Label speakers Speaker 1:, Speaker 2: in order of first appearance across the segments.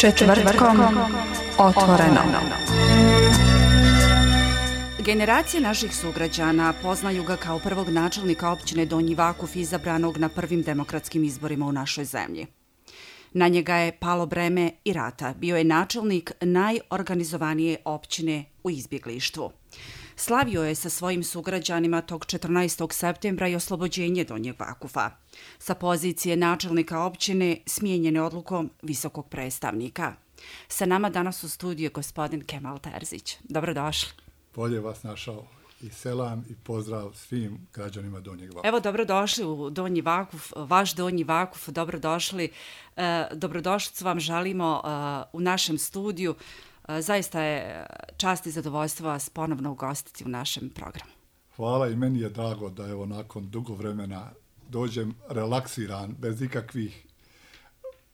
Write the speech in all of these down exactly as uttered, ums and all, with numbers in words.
Speaker 1: Četvrtkom otvoreno.
Speaker 2: Generacije naših sugrađana poznaju ga kao prvog načelnika općine Donji Vakuf izabranog na prvim demokratskim izborima u našoj zemlji. Na njega je palo breme i rata. Bio je načelnik najorganizovanije općine u izbjeglištvu. Slavio je sa svojim sugrađanima tog četrnaestog septembra i oslobođenje Donjeg Vakufa. Sa pozicije načelnika općine smijenjene odlukom visokog predstavnika. Sa nama danas u studiju gospodin Kemal Terzić. Dobrodošli.
Speaker 3: Bolje vas našao i selam i pozdrav svim građanima Donjeg Vakufa.
Speaker 2: Evo, dobrodošli u Donji Vakuf, vaš Donji Vakuf, dobrodošli. E, dobrodošlicu vam želimo e, u našem studiju. E, zaista je čast i zadovoljstvo vas ponovno ugostiti u našem programu.
Speaker 3: Hvala i meni je drago da evo nakon dugo vremena dođem relaksiran, bez ikakvih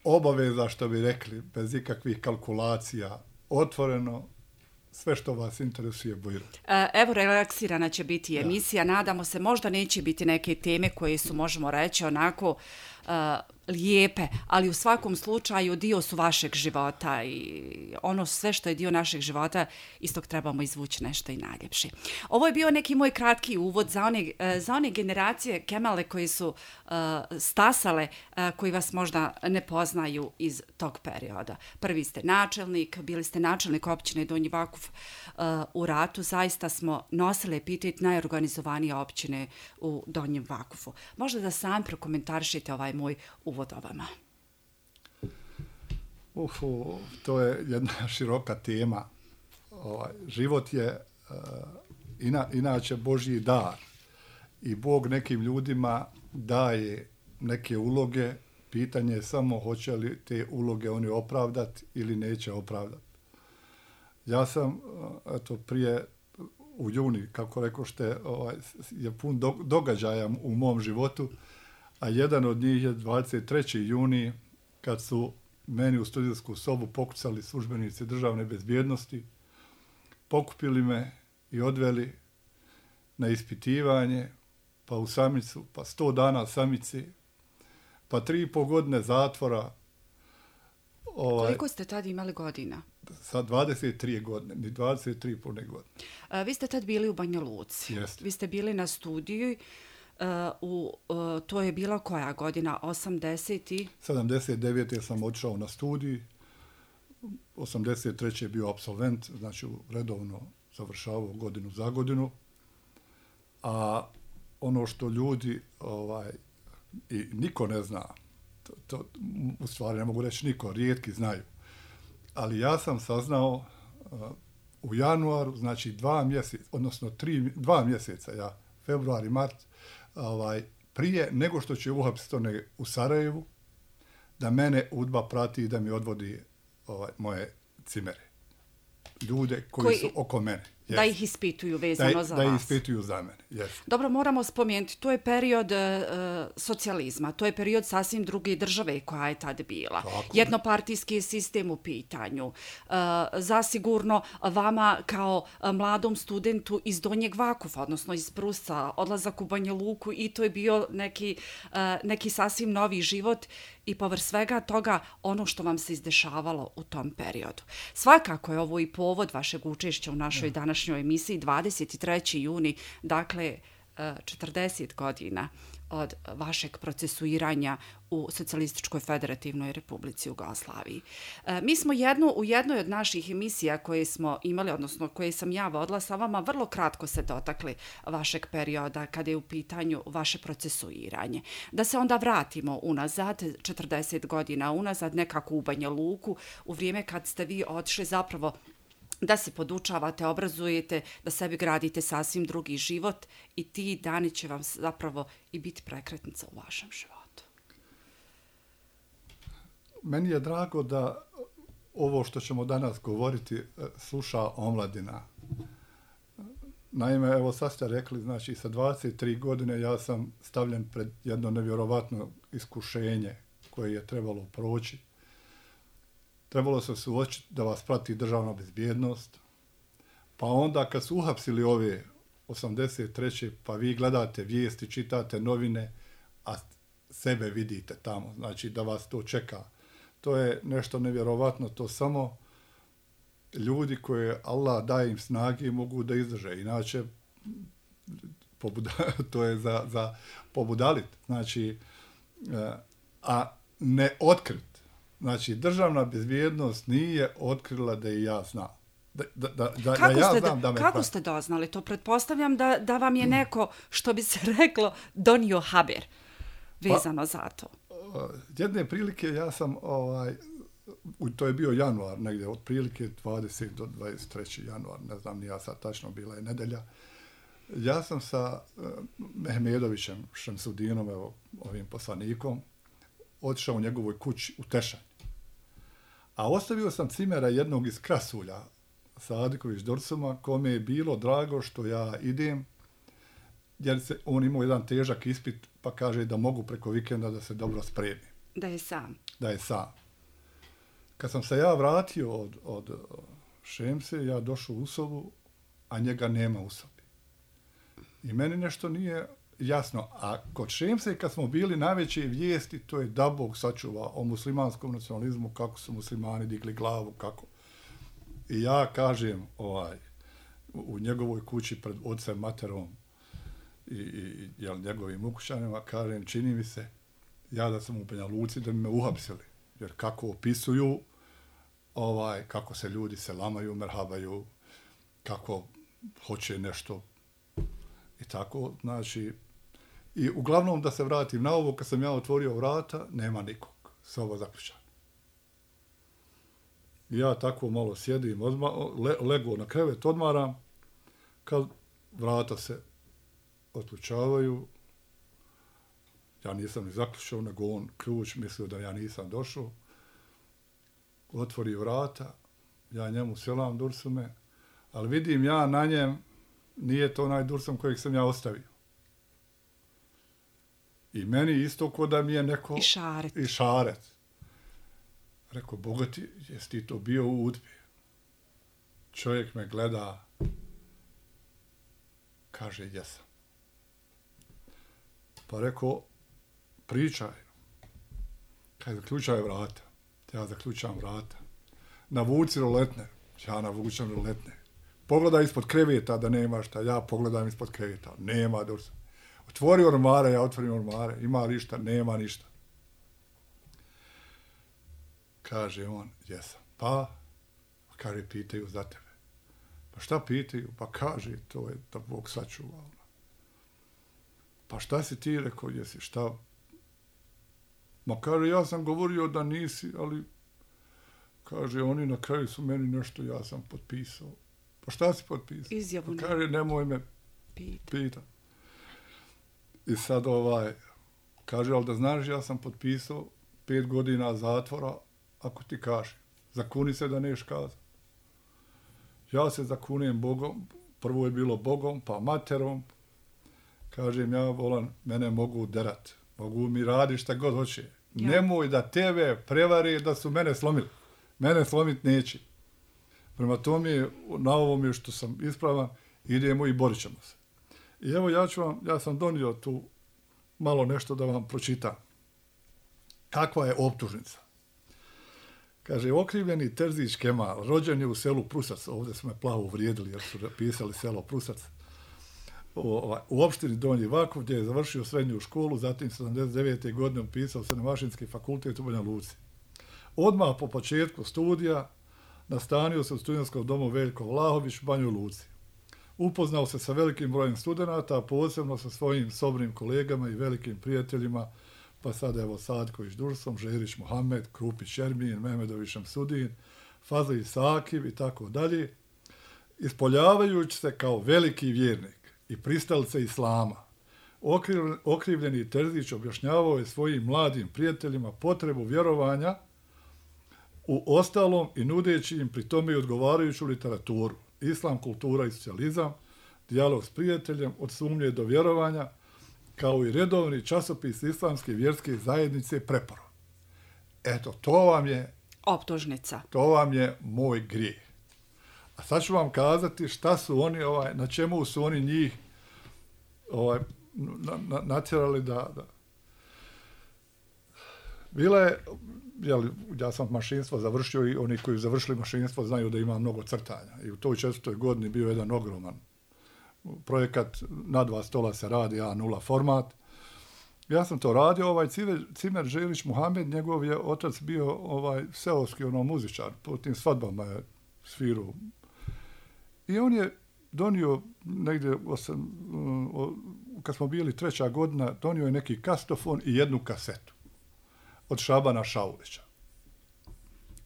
Speaker 3: obaveza, što bi rekli, bez ikakvih kalkulacija, otvoreno, sve što vas interesuje bojiro.
Speaker 2: Evo, relaksirana će biti emisija. Ja. Nadamo se, možda neće biti neke teme koje su, možemo reći, onako uh, lijepe, ali u svakom slučaju dio su vašeg života i ono sve što je dio našeg života, istog trebamo izvući nešto i najljepše. Ovo je bio neki moj kratki uvod za one, za one generacije Kemale koji su uh, stasale, uh, koji vas možda ne poznaju iz tog perioda. Prvi ste načelnik, bili ste načelnik općine Donji Vakuf uh, u ratu. Zaista smo nosili epitet najorganizovanije općine u Donjem Vakufu. Možda da sam prokomentarišite ovaj moj uvod o vama.
Speaker 3: Ufu, to je jedna široka tema. Ovaj, život je uh, ina, inače Božji dar i Bog nekim ljudima daje neke uloge. Pitanje je samo hoće li te uloge oni opravdati ili neće opravdati. Ja sam eto, prije u juni, kako rekošte, ovaj, je pun do, događaja u mom životu, a jedan od njih je dvadeset trećeg juna kad su meni u studijsku sobu pokucali službenici državne bezbjednosti, pokupili me i odveli na ispitivanje, pa u samicu, pa sto dana samici, pa tri i pol godine zatvora.
Speaker 2: Ovaj, koliko ste tad imali godina?
Speaker 3: Sa dvadeset tri godine, ni dvadeset tri i pol godine.
Speaker 2: A, vi ste tad bili u Banja Luci.
Speaker 3: Jeste.
Speaker 2: Vi ste bili na studiju. Uh, u, uh, to je bila koja godina? osamdeset i
Speaker 3: sedamdeset devete sam odšao na studij. osamdeset treće je bio apsolvent, znači redovno završavao godinu za godinu. A ono što ljudi ovaj, i niko ne zna, to, to, u stvari ne mogu reći niko, rijetki znaju. Ali ja sam saznao uh, u januaru, znači dva mjeseca, odnosno tri, dva mjeseca, ja, februar i mart, ovaj, prije nego što će uhapsiti one u Sarajevu, da mene UDBA prati i da mi odvodi ovaj, moje cimere. Ljude koji, koji su oko mene. Yes.
Speaker 2: Da ih ispituju vezano
Speaker 3: da,
Speaker 2: za
Speaker 3: da
Speaker 2: vas.
Speaker 3: Da ih ispituju za mene, yes.
Speaker 2: Dobro, moramo spomenuti, to je period uh, socijalizma, to je period sasvim druge države koja je tad bila. Tako. Jednopartijski sistem u pitanju. Uh, zasigurno vama kao mladom studentu iz Donjeg Vakufa, odnosno iz Prusa, odlazak u Banja Luku i to je bio neki, uh, neki sasvim novi život i povrh svega toga ono što vam se izdešavalo u tom periodu. Svakako je ovo i povod vašeg učešća u našoj ja. današnjoj emisiji, dvadeset trećeg juna, dakle četrdeset godina od vašeg procesuiranja u Socijalističkoj federativnoj Republici Jugoslaviji. E, mi smo jednu, u jednoj od naših emisija koje smo imali, odnosno koje sam ja vodila sa vama, vrlo kratko se dotakli vašeg perioda kada je u pitanju vaše procesuiranje. Da se onda vratimo unazad, četrdeset godina unazad, nekako u Banja Luku, u vrijeme kad ste vi otišli zapravo da se podučavate, obrazujete, da sebi gradite sasvim drugi život i ti dani će vam zapravo i biti prekretnica u vašem životu.
Speaker 3: Meni je drago da ovo što ćemo danas govoriti sluša omladina. Naime, evo sad ste rekli, znači sa dvadeset tri godine ja sam stavljen pred jedno nevjerovatno iskušenje koje je trebalo proći. Trebalo se suočiti da vas prati državna bezbjednost. Pa onda kad su uhapsili ove osamdeset treće pa vi gledate vijesti, čitate novine, a sebe vidite tamo, znači da vas to čeka to je nešto nevjerovatno, to samo ljudi koje Allah daje im snage mogu da izdrže, inače pobuda, to je za, za pobudalit, znači, a ne otkrit. Znači, državna bezbjednost nije otkrila da i ja znam. Da, da, da, da,
Speaker 2: kako
Speaker 3: da ja
Speaker 2: ste,
Speaker 3: znam da me
Speaker 2: kako
Speaker 3: pravi.
Speaker 2: ste doznali to? Pretpostavljam da, da vam je neko, što bi se reklo, donio haber vezano pa, za to.
Speaker 3: Jedne prilike ja sam, ovaj, to je bio januar, negdje od prilike dvadesetog do dvadeset trećeg januar, ne znam ni ja sad tačno, bila je nedelja. Ja sam sa uh, Mehmedovićem, Šemsudinom, evo, ovim poslanikom, otišao u njegovoj kući u Tešanj. A ostavio sam cimera jednog iz Krasulja, Sadiković Dorsuma, kome je bilo drago što ja idem, jer se, on imao jedan težak ispit, pa kaže da mogu preko vikenda da se dobro spremi.
Speaker 2: Da je sam.
Speaker 3: Da je sam. Kad sam se ja vratio od, od Šemse, ja došao u sobu, a njega nema u sobi. I meni nešto nije jasno. A kod Šemse, kad smo bili najveće vijesti, to je da Bog sačuva o muslimanskom nacionalizmu, kako su muslimani digli glavu, kako. I ja kažem, ovaj, u njegovoj kući pred ocem, materom i, i jel, njegovim ukućanima, kažem, čini mi se, ja da sam u Banja Luci, da bi me uhapsili. Jer kako opisuju, ovaj, kako se ljudi selamaju, merhabaju, kako hoće nešto i tako, znači, i uglavnom da se vratim na ovo, kad sam ja otvorio vrata, nema nikog, soba zaključana. Ja tako malo sjedim, odma, le, lego na krevet, odmaram, kad vrata se otključavaju, ja nisam ni zaključao, nego on ključ mislio da ja nisam došao, otvori vrata, ja njemu selam Dursume, ali vidim ja na njem, nije to onaj Dursum kojeg sam ja ostavio. I meni isto ko da mi je neko...
Speaker 2: I šaret.
Speaker 3: I šaret. Rekao, bogati, jesi ti to bio u udbi? Čovjek me gleda, kaže, jesam. Pa rekao, pričaj. Kaj zaključaj vrata. Ja zaključam vrata. Navuci roletne. Ja navučam roletne. Pogledaj ispod kreveta da nema šta. Ja pogledam ispod kreveta. Nema Dursa. Otvori ormare, ja otvorim ormare. Ima li šta? Nema ništa. Kaže on, jesam. Pa, kaže, pitaju za tebe. Pa šta pitaju? Pa kaže, to je da Bog sačuva. Pa šta si ti rekao, jesi šta? Ma kaže, ja sam govorio da nisi, ali kaže, oni na kraju su meni nešto, ja sam potpisao. Pa šta si potpisao?
Speaker 2: Izjavu.
Speaker 3: Pa kaže, nemoj me
Speaker 2: Pita.
Speaker 3: pita. I sad ovaj, kaže, ali da znaš, ja sam potpisao pet godina zatvora, ako ti kaže. Zakuni se da neš kazati. Ja se zakunijem Bogom, prvo je bilo Bogom, pa materom. Kažem, ja volam, mene mogu derat. Mogu mi radi šta god hoće. Ja. Nemoj da tebe prevari da su mene slomili. Mene slomit neće. Prema tome, na ovom je što sam ispravan, idemo i borit ćemo se. I evo, ja ću vam, ja sam donio tu malo nešto da vam pročitam. Kakva je optužnica? Kaže, okrivljeni Terzić Kemal, rođen je u selu Prusac, ovdje su me plavo uvrijedili jer su pisali selo Prusac, u, u opštini Donji Vakuf, gdje je završio srednju školu, zatim sedamdeset devete godine upisao Srednjomašinski fakultet u Banja Luci. Odmah po početku studija nastanio se u studentskom domu Veljko Vlahović u Banjoj Luci. Upoznao se sa velikim brojem studenata, a posebno sa svojim sobnim kolegama i velikim prijateljima, pa sad evo Sadković Dursom, Žerić Mohamed, Krupić Ermin, Mehmedović Šemsudin, Fazli Sakiv i tako dalje, ispoljavajući se kao veliki vjernik i pristalice islama. Okrivljeni Terzić objašnjavao je svojim mladim prijateljima potrebu vjerovanja u ostalom i nudeći im pri tome i odgovarajuću literaturu, islam, kultura i socijalizam, dijalog s prijateljem, od sumnje do vjerovanja, kao i redovni časopis islamske vjerske zajednice Preporo. Eto, to vam je...
Speaker 2: Optužnica.
Speaker 3: To vam je moj grijeh. A sad ću vam kazati šta su oni, ovaj, na čemu su oni njih ovaj, na, na, natjerali da, da... Bila je, jeli, ja sam mašinstvo završio i oni koji završili mašinstvo znaju da ima mnogo crtanja. I u toj četvrtoj godini bio jedan ogroman projekat, na dva stola se radi A nula format. Ja sam to radio, ovaj Cimer, Cimer Želić Muhamed, njegov je otac bio ovaj seoski ono muzičar, po tim svadbama je sviru. I on je donio negdje, osam, o, kad smo bili treća godina, donio je neki kastofon i jednu kasetu od Šabana Šaulića.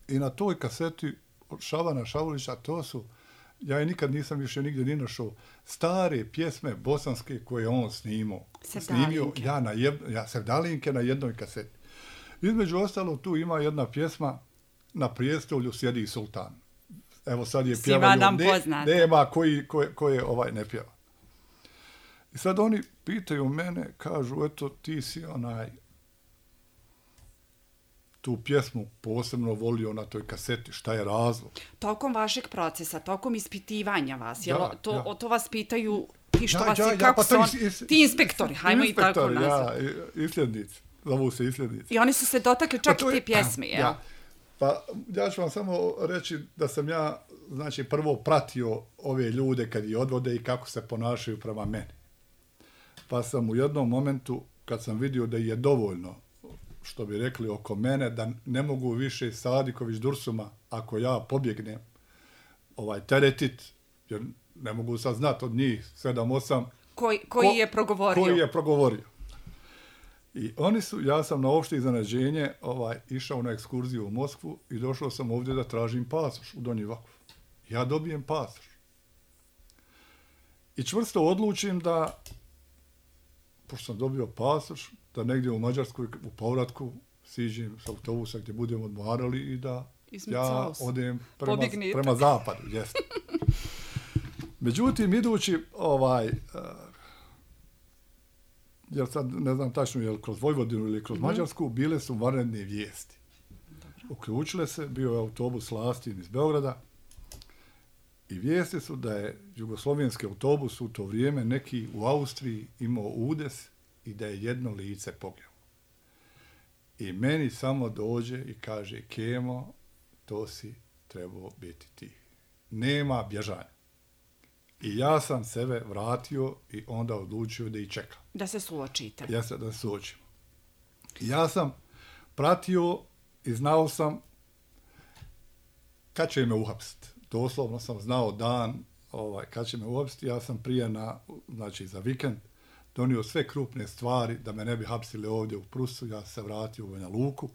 Speaker 3: I na toj kaseti od Šabana Šaulića, to su, ja je nikad nisam više nigdje ni našao, stare pjesme bosanske koje on snimao. Snimio ja na jed, ja Sevdalinke na jednoj kaseti. Između ostalo tu ima jedna pjesma Na prijestolju sjedi sultan. Evo sad je pjevaju, ne, nema koji, koje, koje ovaj ne pjeva. I sad oni pitaju mene, kažu, eto ti si onaj tu pjesmu posebno volio na toj kaseti, šta je razlog?
Speaker 2: Tokom vašeg procesa, tokom ispitivanja vas, jel,
Speaker 3: ja,
Speaker 2: to,
Speaker 3: ja.
Speaker 2: to vas pitaju ti što
Speaker 3: ja,
Speaker 2: vas
Speaker 3: ja,
Speaker 2: je,
Speaker 3: ja,
Speaker 2: kako
Speaker 3: pa
Speaker 2: su on,
Speaker 3: is, is,
Speaker 2: ti inspektori, hajmo i tako nazvati.
Speaker 3: Ja, isljednici, zovu se isljednici.
Speaker 2: I oni su se dotakli čak
Speaker 3: pa
Speaker 2: i te pjesme, jel?
Speaker 3: Ja. Pa ja ću vam samo reći da sam ja, znači, prvo pratio ove ljude kad ih odvode i kako se ponašaju prema meni. Pa sam u jednom momentu, kad sam vidio da je dovoljno, što bi rekli oko mene, da ne mogu više Sadiković Dursuma, ako ja pobjegnem, ovaj, teretit, jer ne mogu sad znati od njih sedam osam
Speaker 2: koji, koji
Speaker 3: ko,
Speaker 2: je progovorio.
Speaker 3: Koji je progovorio. I oni su, ja sam na opšte iznenađenje ovaj, išao na ekskurziju u Moskvu i došao sam ovdje da tražim pasoš u Donji Vakuf. Ja dobijem pasoš. I čvrsto odlučim da, pošto sam dobio pasoš, da negdje u Mađarskoj u povratku siđem s autobusa gdje budemo odmarali i da ja odem prema, prema zapadu. Jeste. Međutim, idući ovaj... jer sad ne znam tačno je li kroz Vojvodinu ili kroz mm-hmm. Mađarsku, bile su vanredne vijesti. Uključile se, bio je autobus Lastin iz Beograda i vijesti su da je jugoslovenski autobus u to vrijeme neki u Austriji imao udes i da je jedno lice poginulo. I meni samo dođe i kaže, Kemo, to si trebao biti ti. Nema bježanja. I ja sam sebe vratio i onda odlučio da ih čekam.
Speaker 2: Da se suočite.
Speaker 3: Ja se da se suočimo. Ja sam pratio i znao sam kad će me uhapsiti. Doslovno sam znao dan ovaj, kad će me uhapsiti. Ja sam prije na, znači za vikend, donio sve krupne stvari da me ne bi hapsili ovdje u Prusu. Ja se vratio u Banja Luku.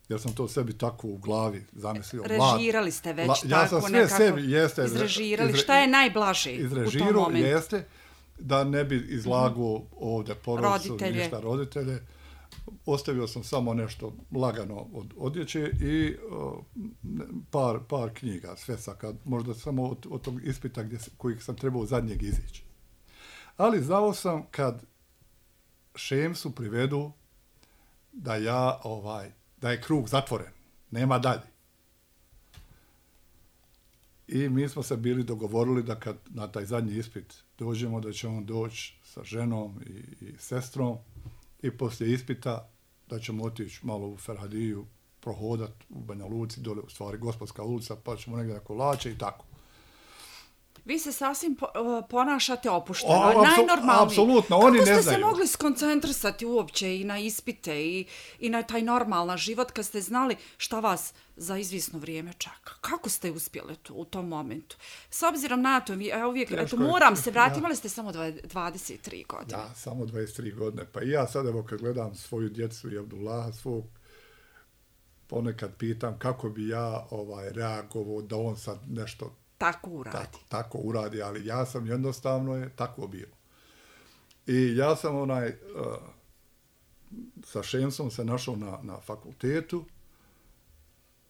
Speaker 3: Jer sam to sebi tako u glavi zamislio.
Speaker 2: Režirali ste već
Speaker 3: La,
Speaker 2: tako
Speaker 3: ja sam sve
Speaker 2: nekako
Speaker 3: sebi, jeste,
Speaker 2: izrežirali. Izre, šta je najblaže u tom momentu?
Speaker 3: Jeste, da ne bi izlagao mm-hmm. ovdje porodicu, ništa roditelje. Ostavio sam samo nešto lagano od odjeće i uh, par, par knjiga, sve sakad, možda samo od, od tog ispita gdje, kojih sam trebao zadnjeg izići. Ali znao sam kad Šemsu privedu da ja ovaj da je krug zatvoren, nema dalje. I mi smo se bili dogovorili da kad na taj zadnji ispit dođemo, da će on doći sa ženom i, i sestrom i poslije ispita da ćemo otići malo u Ferhadiju, prohodat u Banja Luci, dole u stvari Gospodska ulica, pa ćemo negdje na kolače i tako.
Speaker 2: Vi se sasvim po, ponašate opušteno, o,
Speaker 3: apsu,
Speaker 2: najnormalnije.
Speaker 3: Apsolutno, oni ne znaju.
Speaker 2: Kako ste se mogli skoncentrisati uopće i na ispite i, i na taj normalan život kad ste znali šta vas za izvisno vrijeme čeka? Kako ste uspjeli tu, u tom momentu? S obzirom na to, ja uvijek, eto, moram se vratiti, imali ste samo dvadeset tri godine.
Speaker 3: Da, samo dvadeset tri godine. Pa i ja sad, evo, kad gledam svoju djecu i Abdullaha svog, ponekad pitam kako bi ja ovaj, reagovao da on sad nešto
Speaker 2: tako uradi.
Speaker 3: Tako, tako uradi, ali ja sam jednostavno je tako bilo. I ja sam onaj, uh, sa Šemsom se našao na, na fakultetu.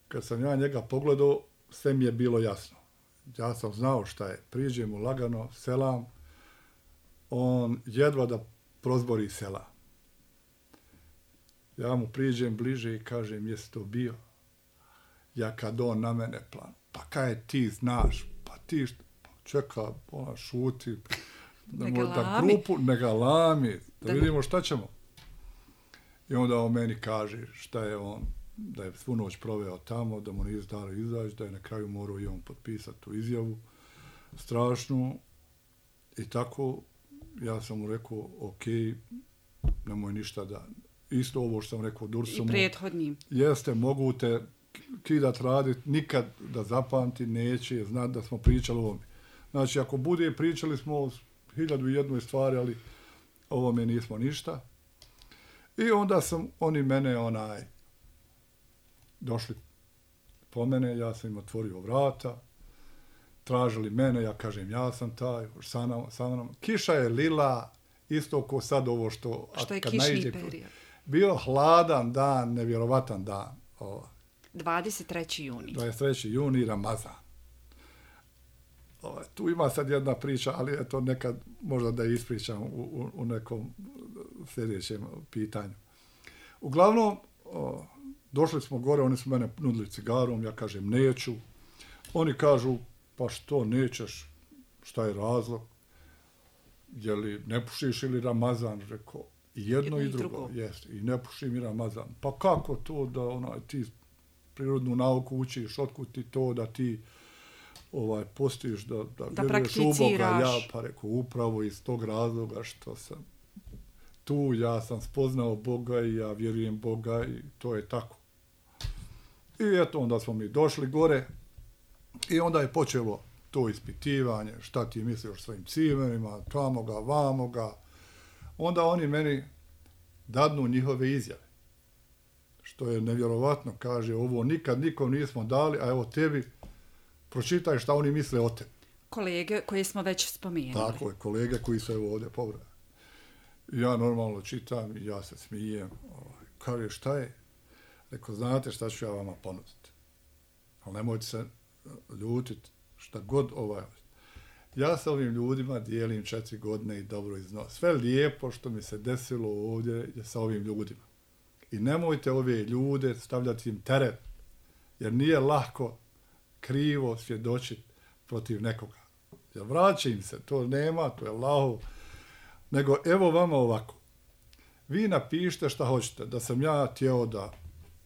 Speaker 3: Kad sam ja njega pogledao, sve mi je bilo jasno. Ja sam znao šta je. Priđem mu lagano, selam. On jedva da prozbori selam. Ja mu priđem bliže i kažem, jesi to bio? Ja kad on na mene plan. Pa kaj ti znaš? Pa ti što? Pa čeka, ona šuti. Da možda grupu, ne galami. Da, da vidimo šta ćemo. I onda on meni kaže šta je on da je svu noć proveo tamo, da mu nije dalo izaći, da je na kraju morao i on potpisati tu izjavu strašnu. I tako ja sam mu rekao, ok, nemoj ništa da... Isto ovo što sam rekao Dursumu.
Speaker 2: I prethodnim.
Speaker 3: Jeste, mogu te kidat radit, nikad da zapamti neće, znat da smo pričali o ovome. Znači, ako bude, pričali smo o hiljadu i jednoj stvari, ali ovome nismo ništa. I onda sam, oni mene, onaj, došli po mene, ja sam im otvorio vrata, tražili mene, ja kažem, ja sam taj, sa nam, sa nam. Kiša je lila, isto ko sad ovo što...
Speaker 2: Što je
Speaker 3: kad
Speaker 2: kišni
Speaker 3: naiđe,
Speaker 2: period.
Speaker 3: Bio hladan dan, nevjerovatan dan. Ova.
Speaker 2: dvadeset treći juni.
Speaker 3: dvadeset treći juni, Ramazan. Ova, tu ima sad jedna priča, ali eto nekad možda da ispričam u, u, u nekom sljedećem pitanju. Uglavnom, o, došli smo gore, oni su mene nudili cigarom, ja kažem neću. Oni kažu, pa što nećeš, šta je razlog? Je li ne pušiš ili Ramazan? Rekao, i jedno, jedno i drugo. drugo. Jeste, i ne pušim i Ramazan. Pa kako to da onaj, ti prirodnu nauku učiš, otkud ti to da ti ovaj, postiš, da, da,
Speaker 2: da
Speaker 3: vjeruješ u Boga? Ja pa rekao, upravo iz tog razloga što sam tu, ja sam spoznao Boga i ja vjerujem Boga i to je tako. I eto, onda smo mi došli gore i onda je počelo to ispitivanje, šta ti misliš o svojim cimenima, tamo ga, vamo ga. Onda oni meni dadnu njihove izjave. Što je nevjerovatno, kaže, ovo nikad nikom nismo dali, a evo tebi, pročitaj šta oni misle o tebi.
Speaker 2: Kolege koje smo već spomenuli.
Speaker 3: Tako je, kolege koji su evo ovdje pobrali. Ja normalno čitam i ja se smijem. Kaže, šta je? Rekao, znate šta ću ja vama ponuditi. Ali nemojte se ljutiti šta god ovaj. Ja sa ovim ljudima dijelim četiri godine i dobro iznos. Sve lijepo što mi se desilo ovdje je sa ovim ljudima. I nemojte ove ljude stavljati im teret, jer nije lako krivo svjedočiti protiv nekoga. Jer vraća im se, to nema, to je laho. Nego evo vama ovako. Vi napišite šta hoćete, da sam ja tijelo da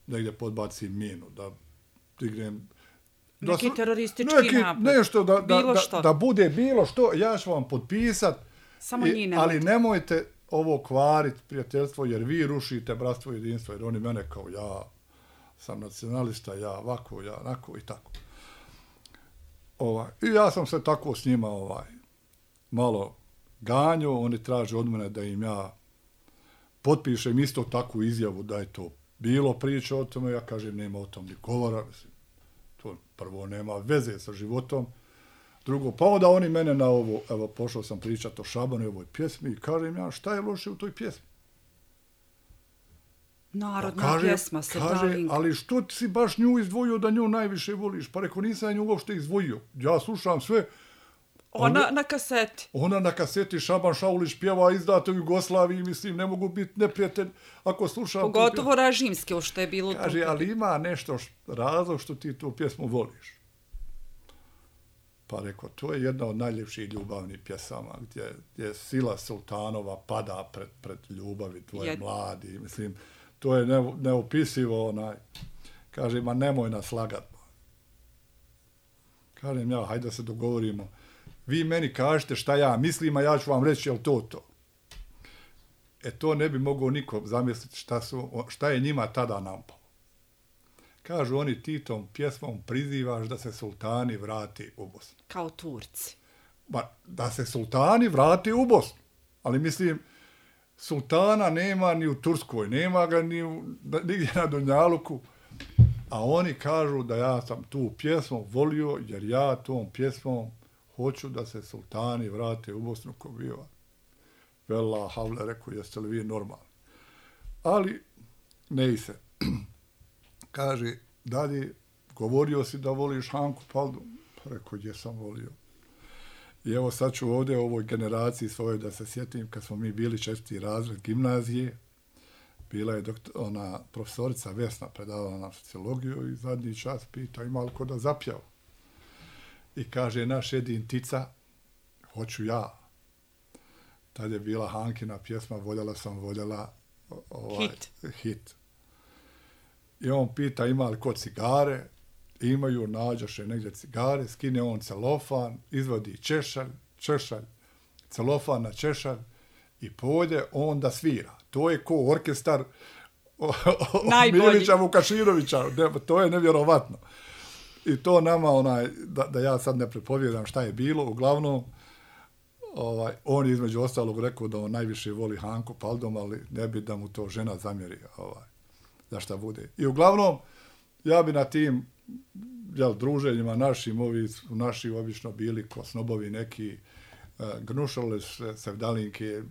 Speaker 3: negdje podbacim minu, da dignem...
Speaker 2: Neki
Speaker 3: da,
Speaker 2: teroristički
Speaker 3: neki,
Speaker 2: napad.
Speaker 3: Nešto da, da,
Speaker 2: da,
Speaker 3: da bude bilo što, ja ću vam potpisat,
Speaker 2: Samo
Speaker 3: i,
Speaker 2: ne
Speaker 3: ali nemojte ovo kvariti prijateljstvo, jer vi rušite bratstvo i jedinstvo, jer oni mene kao ja sam nacionalista, ja ovako, ja onako i tako. Ovaj. I ja sam se tako s njima ovaj, malo ganjao, oni traže od mene da im ja potpišem isto takvu izjavu da je to bilo priča o tome, ja kažem nema o tom ni govora, mislim, to prvo nema veze sa životom, drugo, pa onda oni mene na ovo, evo pošao sam pričati o Šabanu i ovoj pjesmi i kažem ja šta je loše u toj pjesmi?
Speaker 2: Narodna
Speaker 3: pa kaže,
Speaker 2: pjesma, Srdalinka.
Speaker 3: Ali što ti si baš nju izdvojio da nju najviše voliš? Pa rekao, nisam ja nju uopšte izdvojio. Ja slušam sve.
Speaker 2: Ona onda, na kaseti.
Speaker 3: Ona na kaseti, Šaban Šaulić pjeva izdato u Jugoslaviji, mislim, ne mogu biti neprijatelj ako slušam...
Speaker 2: Pogotovo režimske, što je bilo...
Speaker 3: Kaže, ali ima nešto što, razlog što ti tu pjesmu voliš. Pa rekao, to je jedna od najljepših ljubavnih pjesama, gdje, gdje sila sultanova pada pred, pred ljubavi tvoje Jed... mladi. Mislim, to je ne, neopisivo, onaj. Kaže, ma nemoj nas lagat. Kažem ja, hajde da se dogovorimo. Vi meni kažete šta ja mislim, a ja ću vam reći, je li to to? E to ne bi mogao niko zamisliti šta, su, šta je njima tada nampalo. Kažu oni, ti tom pjesmom prizivaš da se sultani vrati u Bosnu.
Speaker 2: Kao Turci.
Speaker 3: Ba, da se sultani vrati u Bosnu. Ali mislim, sultana nema ni u Turskoj, nema ga ni u, nigdje na Dunjaluku. A oni kažu da ja sam tu pjesmu volio, jer ja tom pjesmom hoću da se sultani vrate u Bosnu ko biva. Vela havle, rekao, jeste li vi normalni? Ali ne i se. Kaže, dalje, govorio si da voliš Hanku Paldu? Pa rekao, gdje sam volio. I evo sad ću ovdje u ovoj generaciji svojoj da se sjetim kad smo mi bili četvrti razred gimnazije. Bila je doktor, ona profesorica Vesna predavala na sociologiju i zadnji čas pita ima li ko da zapjeva. I kaže, naš jedin tica, hoću ja. Tad je bila Hankina pjesma, voljela sam, voljela ovaj,
Speaker 2: hit.
Speaker 3: hit. I on pita ima li ko cigare, imaju, nađoše negdje cigare, skine on celofan, izvodi češalj, češalj, celofan na češalj i pode on da svira. To je ko orkestar Milića Vukaširovića, to je nevjerovatno. I to nama, onaj, da, da ja sad ne prepovjedam šta je bilo, uglavnom, ovaj, on je između ostalog rekao da on najviše voli Hanku Paldom, ali ne bi da mu to žena zamjeri, ovaj, da šta bude. I uglavnom, ja bi na tim jel, druženjima našim, ovi naši obično bili ko snobovi neki, uh, gnušali se sevdalinke,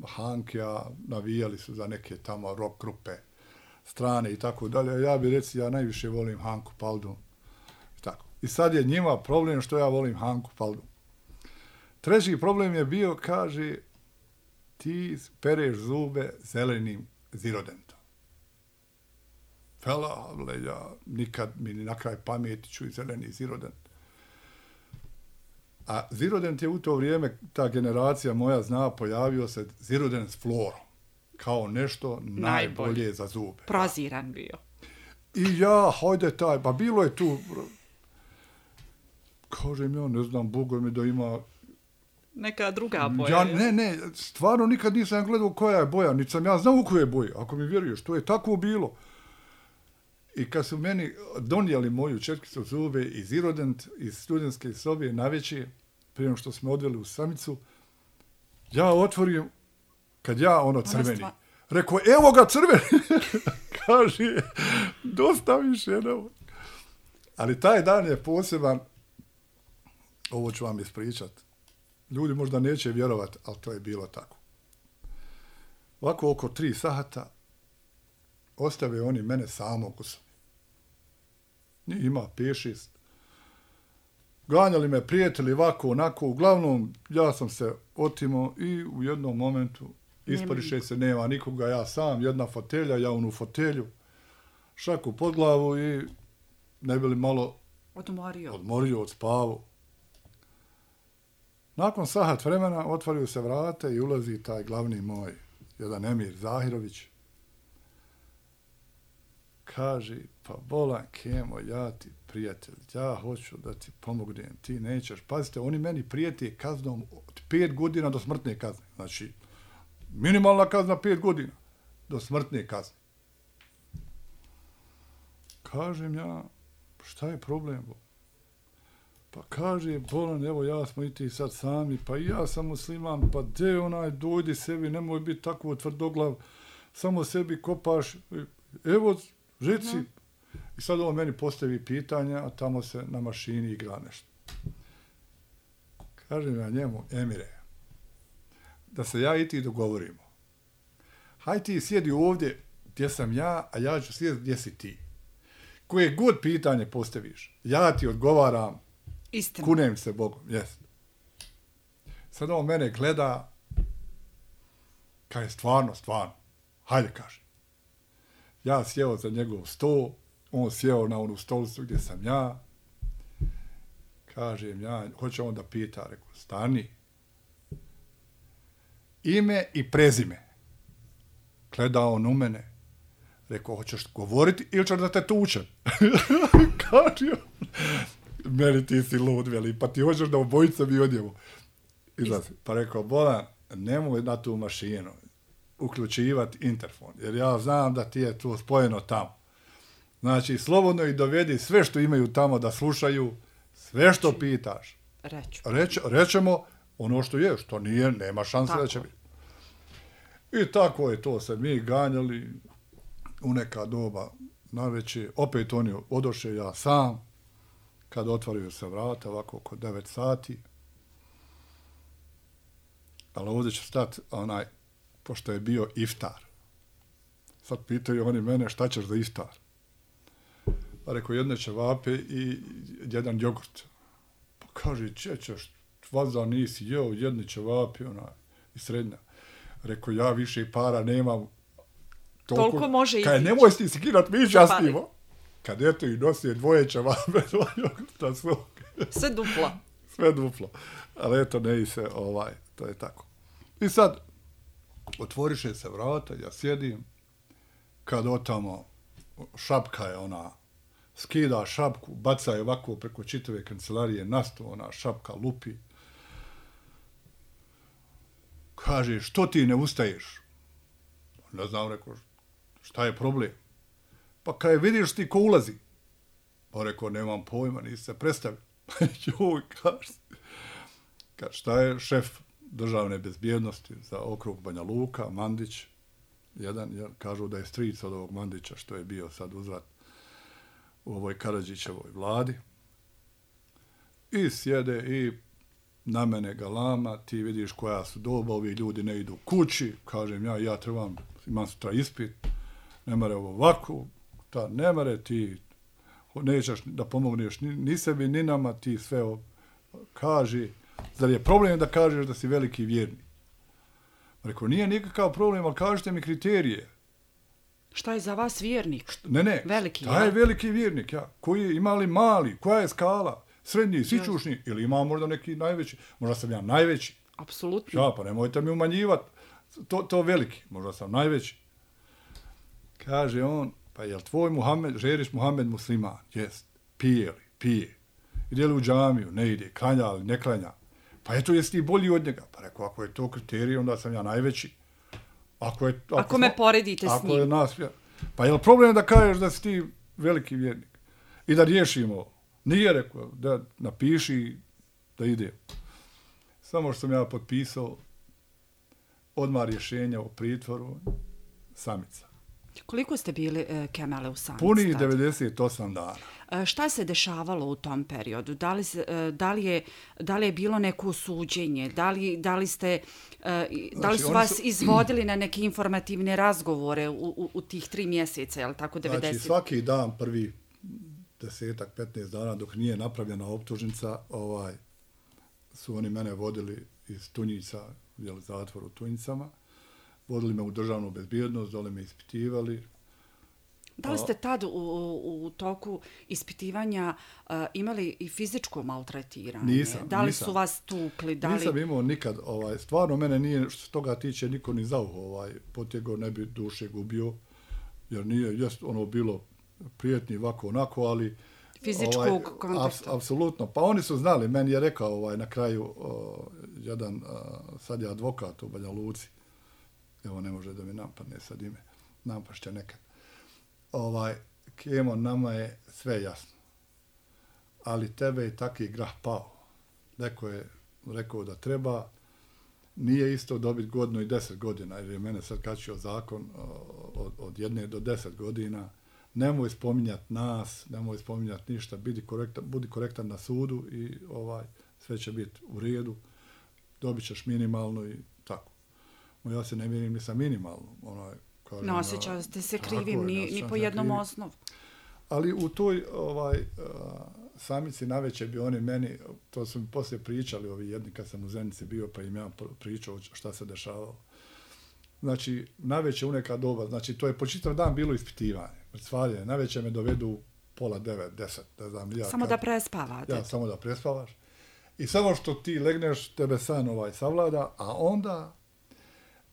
Speaker 3: Hankija, navijali su za neke tamo rock grupe strane i tako dalje. Ja bi reci, ja najviše volim Hanku Paldu. I, tako. I sad je njima problem što ja volim Hanku Paldu. Treći problem je bio, kaže, ti pereš zube zelenim zirodentom. Fela, ale ja nikad mi ni na kraj pameti ću i zeleni zirodent. A zirodent je u to vrijeme, ta generacija moja zna, pojavio se zirodent s florom. Kao nešto najbolje, najbolje za zube.
Speaker 2: Proziran bio.
Speaker 3: I ja, hajde taj, pa bilo je tu, kažem ja, ne znam, Boga mi da ima
Speaker 2: neka druga boja.
Speaker 3: Ja, ne, ne, stvarno nikad nisam gledao koja je boja, niti sam ja znao u koje je boje, ako mi vjeruješ, to je tako bilo. I kad su meni donijeli moju četkicu zube iz Irodent, iz studentske sobe navečer, prije što smo odveli u samicu, ja otvorim, kad ja ono crveni, rekao, evo ga crveni, kaže, dosta više, ne. Ali taj dan je poseban, ovo ću vam ispričat. Ljudi možda neće vjerovati, ali to je bilo tako. Ovako oko tri sata ostave oni mene samog u sobi. Nije ima pet šest. Ganjali me prijatelji ovako, onako. Uglavnom, ja sam se otimo i u jednom momentu isporiše se, nema nikoga, ja sam, jedna fotelja, ja onu fotelju, šaku pod glavu i ne bi li malo
Speaker 2: odmorio,
Speaker 3: odmorio od spavu. Nakon sahat vremena otvaraju se vrate i ulazi taj glavni moj, jedan Emir Zahirović. Kaže, pa bolan Kemo, ja ti prijatelj, ja hoću da ti pomognem, ti nećeš. Pazite, oni meni prijete kaznom od pet godina do smrtne kazne. Znači, minimalna kazna pet godina do smrtne kazne. Kažem ja, šta je problem? Pa kaže, bolan, evo ja smo i ti sad sami, pa i ja sam musliman, pa de onaj, dojdi sebi, nemoj biti tako tvrdoglav, samo sebi kopaš, evo, žici. Mm. I sad ovo meni postavi pitanja, a tamo se na mašini igra nešto. Kažem ja njemu, Emire, da se ja i ti dogovorimo. Haj ti sjedi ovdje gdje sam ja, a ja ću sjedi gdje si ti. Koje god pitanje postaviš, ja ti odgovaram,
Speaker 2: istina.
Speaker 3: Kunem se Bogom, jes. Sad on mene gleda, kaj je stvarno, stvarno. Hajde, kaže. Ja sjeo za njegov sto, on sjeo na onu stolicu gdje sam ja. Kažem ja, hoće on da pita, rekao, stani. Ime i prezime. Gleda on u mene. Rekao, hoćeš govoriti ili ćeš da te tučem? Kaže on, meni ti si lud, veli, pa ti hoćeš da obojica mi odjevu. Izlazi. Pa rekao, bolan, nemoj na tu mašinu uključivati interfon, jer ja znam da ti je to spojeno tamo. Znači, slobodno ih dovedi sve što imaju tamo da slušaju, sve što pitaš.
Speaker 2: Reću.
Speaker 3: Reč, rećemo ono što je, što nije, nema šanse da će biti. I tako je to se mi ganjali u neka doba naveće. Opet oni odoše, ja sam, kad otvaraju se vrata, ovako oko devet sati. Ali ovdje će stati onaj, pošto je bio iftar. Sad pitaju oni mene šta ćeš za iftar. Pa rekao, jedne ćevape i jedan jogurt. Pa kaže, čećeš, vaza nisi jeo, jedne ćevape, ona, i srednja. Rekao, ja više para nemam.
Speaker 2: Toliko, toliko može i...
Speaker 3: Kaj, nemoj si skirat, mi častimo. Kad eto i nosi dvoje ćevape, dva jogurta svog.
Speaker 2: Sve duplo.
Speaker 3: Sve duplo. Ali eto, ne i se, ovaj, to je tako. I sad, otvoriše se vrata, ja sjedim, kad otamo šapka je ona, skida šapku, baca je ovako preko čitave kancelarije na sto, ona šapka lupi. Kaže, što ti ne ustaješ? Ne znam, rekao, šta je problem? Pa kaj vidiš ti ko ulazi? Pa rekao, nemam pojma, nisi se predstavio. Joj, kaže, kaže, šta je šef državne bezbjednosti za okrug Banja Luka, Mandić, jedan, jer kažu da je stric od ovog Mandića, što je bio sad uzvrat u ovoj Karadžićevoj vladi. I sjede i na mene galama, ti vidiš koja su doba, ovi ljudi ne idu kući, kažem ja, ja trebam, imam sutra ispit, ne mare ovo ovako, ta, ne mare ti, nećeš da pomogneš ni, ni sebi, ni nama, ti sve o, kaži, zar je problem da kažeš da si veliki vjernik? Rekao, nije nikakav problem, ali kažete mi kriterije.
Speaker 2: Šta je za vas vjernik?
Speaker 3: Ne, ne,
Speaker 2: veliki,
Speaker 3: šta je veliki vjernik, ja? Koji je, ima li mali, koja je skala? Srednji, sičušni, yes. Ili ima možda neki najveći, možda sam ja najveći.
Speaker 2: Apsolutno.
Speaker 3: Ja, pa nemojte mi umanjivati, to, to veliki, možda sam najveći. Kaže on, pa jel tvoj Muhammed, žeriš Muhammed musliman? Jest. Pije li? Pije. Ide li u džamiju? Ne ide. Klanja li? Ne klanja. Pa eto, jesi ti bolji od njega? Pa rekao, ako je to kriterij, onda sam ja najveći. Ako, je, ako,
Speaker 2: ako me poredite
Speaker 3: ako
Speaker 2: s njim.
Speaker 3: Je nas, pa je li problem da kažeš da si ti veliki vjernik? I da riješimo? Nije rekao, da napiši da ide. Samo što sam ja potpisao odmah rješenja o pritvoru, samica.
Speaker 2: Koliko ste bili e, Kemale u samici?
Speaker 3: Puni devedeset osam dana.
Speaker 2: E, šta se dešavalo u tom periodu? Da li, e, da li, je, da li je bilo neko suđenje? Da li, da li, ste, e, da li su
Speaker 3: znači,
Speaker 2: vas
Speaker 3: su...
Speaker 2: izvodili na neke informativne razgovore u, u, u tih tri mjeseca, je li tako, devedeset?
Speaker 3: Znači, svaki dan, prvi desetak, petnaest dana, dok nije napravljena optužnica, ovaj, su oni mene vodili iz Tunjica, jel, zatvor u Tunjicama, vodili me u državnu bezbjednost, dole me ispitivali.
Speaker 2: Da li ste tad u, u, u toku ispitivanja uh, imali i fizičko maltretiranje?
Speaker 3: Nisam,
Speaker 2: Da li
Speaker 3: nisam.
Speaker 2: su vas tukli? Da li...
Speaker 3: Nisam imao nikad, ovaj, stvarno mene nije, što se toga tiče, niko ni za uho ovaj, potjego, ne bi duše gubio, jer nije, jest ono bilo prijetni ovako onako, ali
Speaker 2: fizičkog
Speaker 3: ovaj,
Speaker 2: kontakta.
Speaker 3: Ap, apsolutno. Pa oni su znali, meni je rekao ovaj, na kraju o, jedan, a, sad je advokat u Banja Luci, evo ne može da mi napadne sad ime, napašće nekad. Ovaj, Kemo, nama je sve jasno, ali tebe je taki grah pao. Neko je rekao da treba, nije isto dobiti godinu i deset godina, jer je mene sad kačio zakon od, od jedne do deset godina. Nemoj spominjati nas, nemoj spominjati ništa, budi korektan, budi korektan na sudu i ovaj sve će biti u redu, dobit ćeš minimalno i tako. No, ja se ne mirim ni sa minimalno. Onaj, kažem,
Speaker 2: no, osjećao ste se krivim,
Speaker 3: je,
Speaker 2: ni, ni po jednom krivim. Osnovu.
Speaker 3: Ali u toj ovaj, uh, samici naveće bi oni meni, to su mi poslije pričali ovi jedni kad sam u Zenici bio, pa im ja pričao šta se dešavalo. Znači, naveće u neka doba, znači to je po čitav dan bilo ispitivanje. Stvarje, naveće me dovedu pola devet, deset, ne znam. Ja,
Speaker 2: samo
Speaker 3: kad,
Speaker 2: da prespavate.
Speaker 3: Ja, samo da prespavaš. I samo što ti legneš, tebe san ovaj savlada, a onda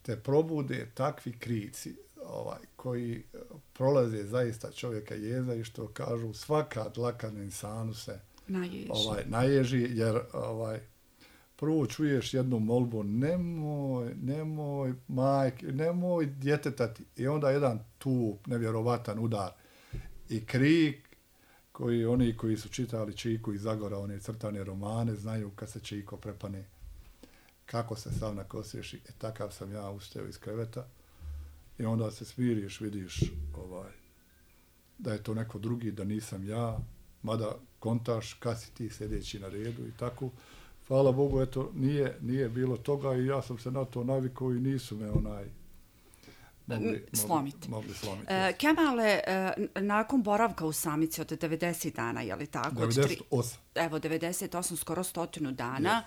Speaker 3: te probude takvi krici ovaj, koji prolaze zaista čovjeka jeza i što kažu svaka dlaka na insanu se
Speaker 2: naježi. Ovaj,
Speaker 3: naježi, jer ovaj, prvo čuješ jednu molbu, nemoj, nemoj, majke, nemoj djetetati. I onda jedan tup, nevjerovatan udar i krik koji oni koji su čitali Čiku iz Zagora, one crtane romane, znaju kad se Čiko prepane, kako se sav nakosješi. E, takav sam ja ustao iz kreveta i onda se smiriš, vidiš ovaj, da je to neko drugi, da nisam ja, mada kontaš kad si ti sljedeći na redu i tako. Hvala Bogu, eto, nije, nije bilo toga i ja sam se na to navikao i nisu me onaj mogli slomiti. Mogli, mogli slomiti.
Speaker 2: E, Kemale, e, nakon boravka u samici od devedeset dana, je li tako?
Speaker 3: devedeset osam.
Speaker 2: Tri, evo, devedeset osam, skoro stotinu dana.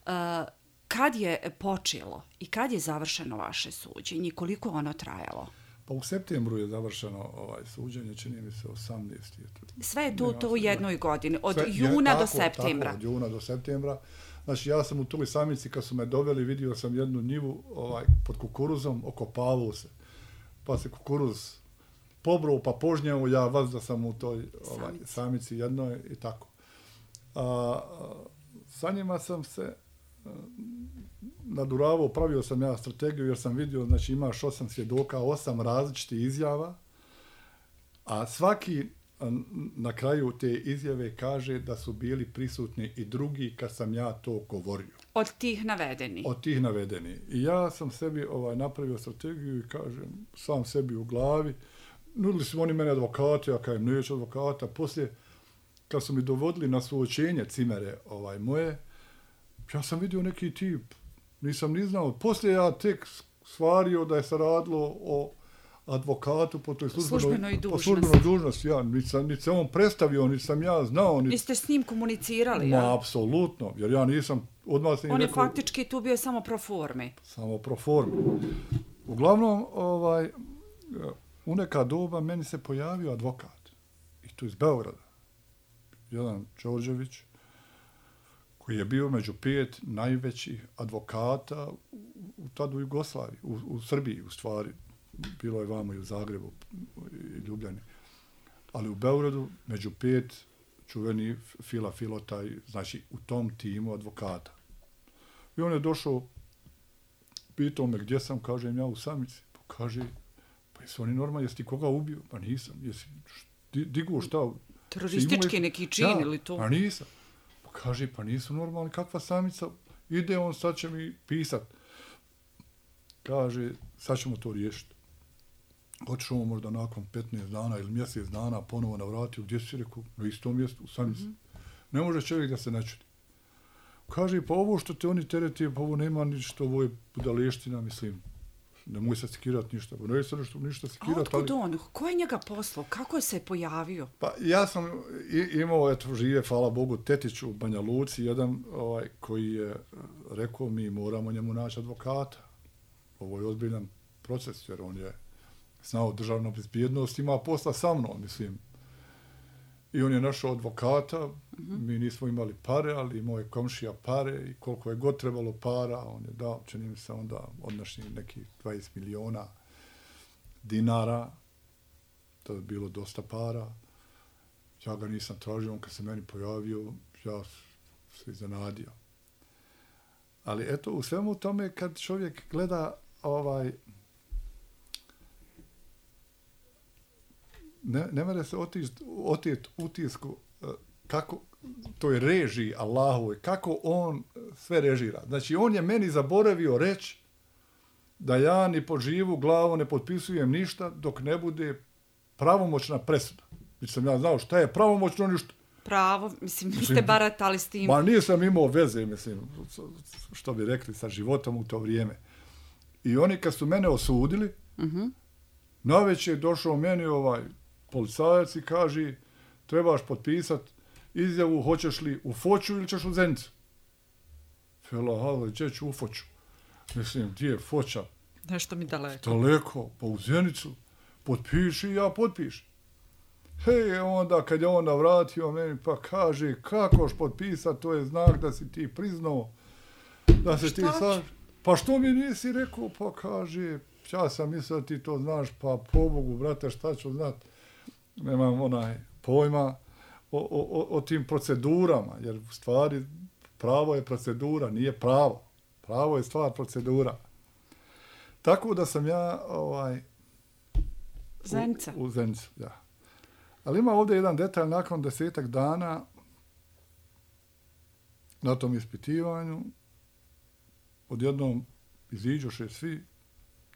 Speaker 2: E, kad je počelo i kad je završeno vaše suđenje? Koliko ono trajalo?
Speaker 3: Pa u septembru je završeno ovaj suđenje, čini mi se osamnaesti.
Speaker 2: Sve je to, to u jednoj godini, od Sve, juna je, tako, do septembra.
Speaker 3: Tako, od juna do septembra. Znači, ja sam u toj samici, kad su me doveli, vidio sam jednu njivu ovaj, pod kukuruzom, okopavao se. Pa se kukuruz pobrao pa požnjeo, ja vazda sam u toj ovaj, samici jednoj i tako. A, sa njima sam se naduravao, pravio sam ja strategiju jer sam vidio, znači imaš osam svjedoka, osam različitih izjava, a svaki na kraju te izjave kaže da su bili prisutni i drugi kad sam ja to govorio.
Speaker 2: Od tih navedeni.
Speaker 3: Od tih navedeni. I ja sam sebi ovaj, napravio strategiju i kažem, sam sebi u glavi, nudili su oni mene advokate, ja kažem, neću advokata. Poslije, kad su mi dovodili na suočenje cimere ovaj, moje, ja sam vidio neki tip, nisam ni znao. Poslije ja tek stvario da je se radilo o advokatu po toj službenoj,
Speaker 2: službenoj dužnosti.
Speaker 3: Po službenoj dužnosti. Ja, niti sam, niti se on predstavio, niti sam ja znao. Niti...
Speaker 2: Vi ste s njim komunicirali,
Speaker 3: Ma,
Speaker 2: ja?
Speaker 3: Apsolutno, jer ja nisam odmah se
Speaker 2: On je
Speaker 3: rekao,
Speaker 2: faktički tu bio samo pro forme.
Speaker 3: Samo pro forme. Uglavnom, ovaj, u neka doba meni se pojavio advokat. I to iz Beograda. Jedan Đorđević, koji je bio među pet najvećih advokata u, u tada u Jugoslaviji, u, u Srbiji u stvari. Bilo je vamo i u Zagrebu i Ljubljani. Ali u Beogradu među pet čuveni Fila Filotaj, znači u tom timu advokata. I on je došao, pitao me gdje sam, kažem ja u samici. Pa kaže, pa jesu oni normalni, jesi ti koga ubio? Pa nisam. Jesi digao šta?
Speaker 2: Teroristički neki čin
Speaker 3: ja,
Speaker 2: ili to?
Speaker 3: Pa nisam. Pa kaže, pa nisu normalni, kakva samica? Ide on, sad će mi pisat. Kaže, sad ćemo to riješiti. Otišao možda nakon petnaest dana ili mjesec dana ponovo navratio, gdje si rekao? Na istom mjestu, u samici. Mm-hmm. Ne može čovjek da se ne čudi. Kaže, pa ovo što te oni tereti, pa ovo nema ništa, ovo je budaleština, mislim. Nemoj se sekirati ništa. Ne se nešto, ništa sekirati.
Speaker 2: A otkud ali... on? Ko je njega poslao? Kako je se pojavio?
Speaker 3: Pa ja sam imao, eto, žive, hvala Bogu, tetić u Banja Luci, jedan ovaj, koji je rekao, mi moramo njemu naći advokata. Ovo je ozbiljan proces, jer on je znao državnu bezbjednost, ima posla sa mnom, mislim. I on je našao advokata, mm-hmm. mi nismo imali pare, ali imao je komšija pare i koliko je god trebalo para, on je dao, čini mi se onda odnašnji neki dvadeset miliona dinara, to je bilo dosta para. Ja ga nisam tražio, on kad se meni pojavio, ja se iznenadio. Ali eto, u svemu tome, kad čovjek gleda ovaj, ne, ne mere se otjet utisku kako to je režiji Allahovoj, kako on sve režira. Znači, on je meni zaboravio reći da ja ni po živu glavu ne potpisujem ništa dok ne bude pravomoćna presuda. Znači sam ja znao šta je pravomoćno ništa.
Speaker 2: Pravo, mislim, niste baratali s tim.
Speaker 3: Ma nisam imao veze, mislim, što bi rekli, sa životom u to vrijeme. I oni kad su mene osudili, uh-huh. navečer je došao meni ovaj policajac i kaže, trebaš potpisat izjavu, hoćeš li u Foču ili ćeš u Zenicu? Fela, hvala, gdje ću u Foču? Mislim, gdje je Foča?
Speaker 2: Nešto mi daleko.
Speaker 3: Daleko, pa u Zenicu. Potpiši, ja potpišem. Hej, onda kad je on navratio meni, pa kaže, kakoš potpisat, to je znak da si ti priznao, da se ti sad... Pa što mi nisi rekao? Pa kaže, ja sam mislio da ti to znaš, pa po Bogu, brate, šta ću znat? Nemam onaj pojma o, o, o tim procedurama, jer u stvari pravo je procedura, nije pravo. Pravo je stvar procedura. Tako da sam ja ovaj,
Speaker 2: Zenica.
Speaker 3: U, u Zenicu, ja. Ali ima ovdje jedan detalj, nakon desetak dana na tom ispitivanju, odjednom iziđoše svi,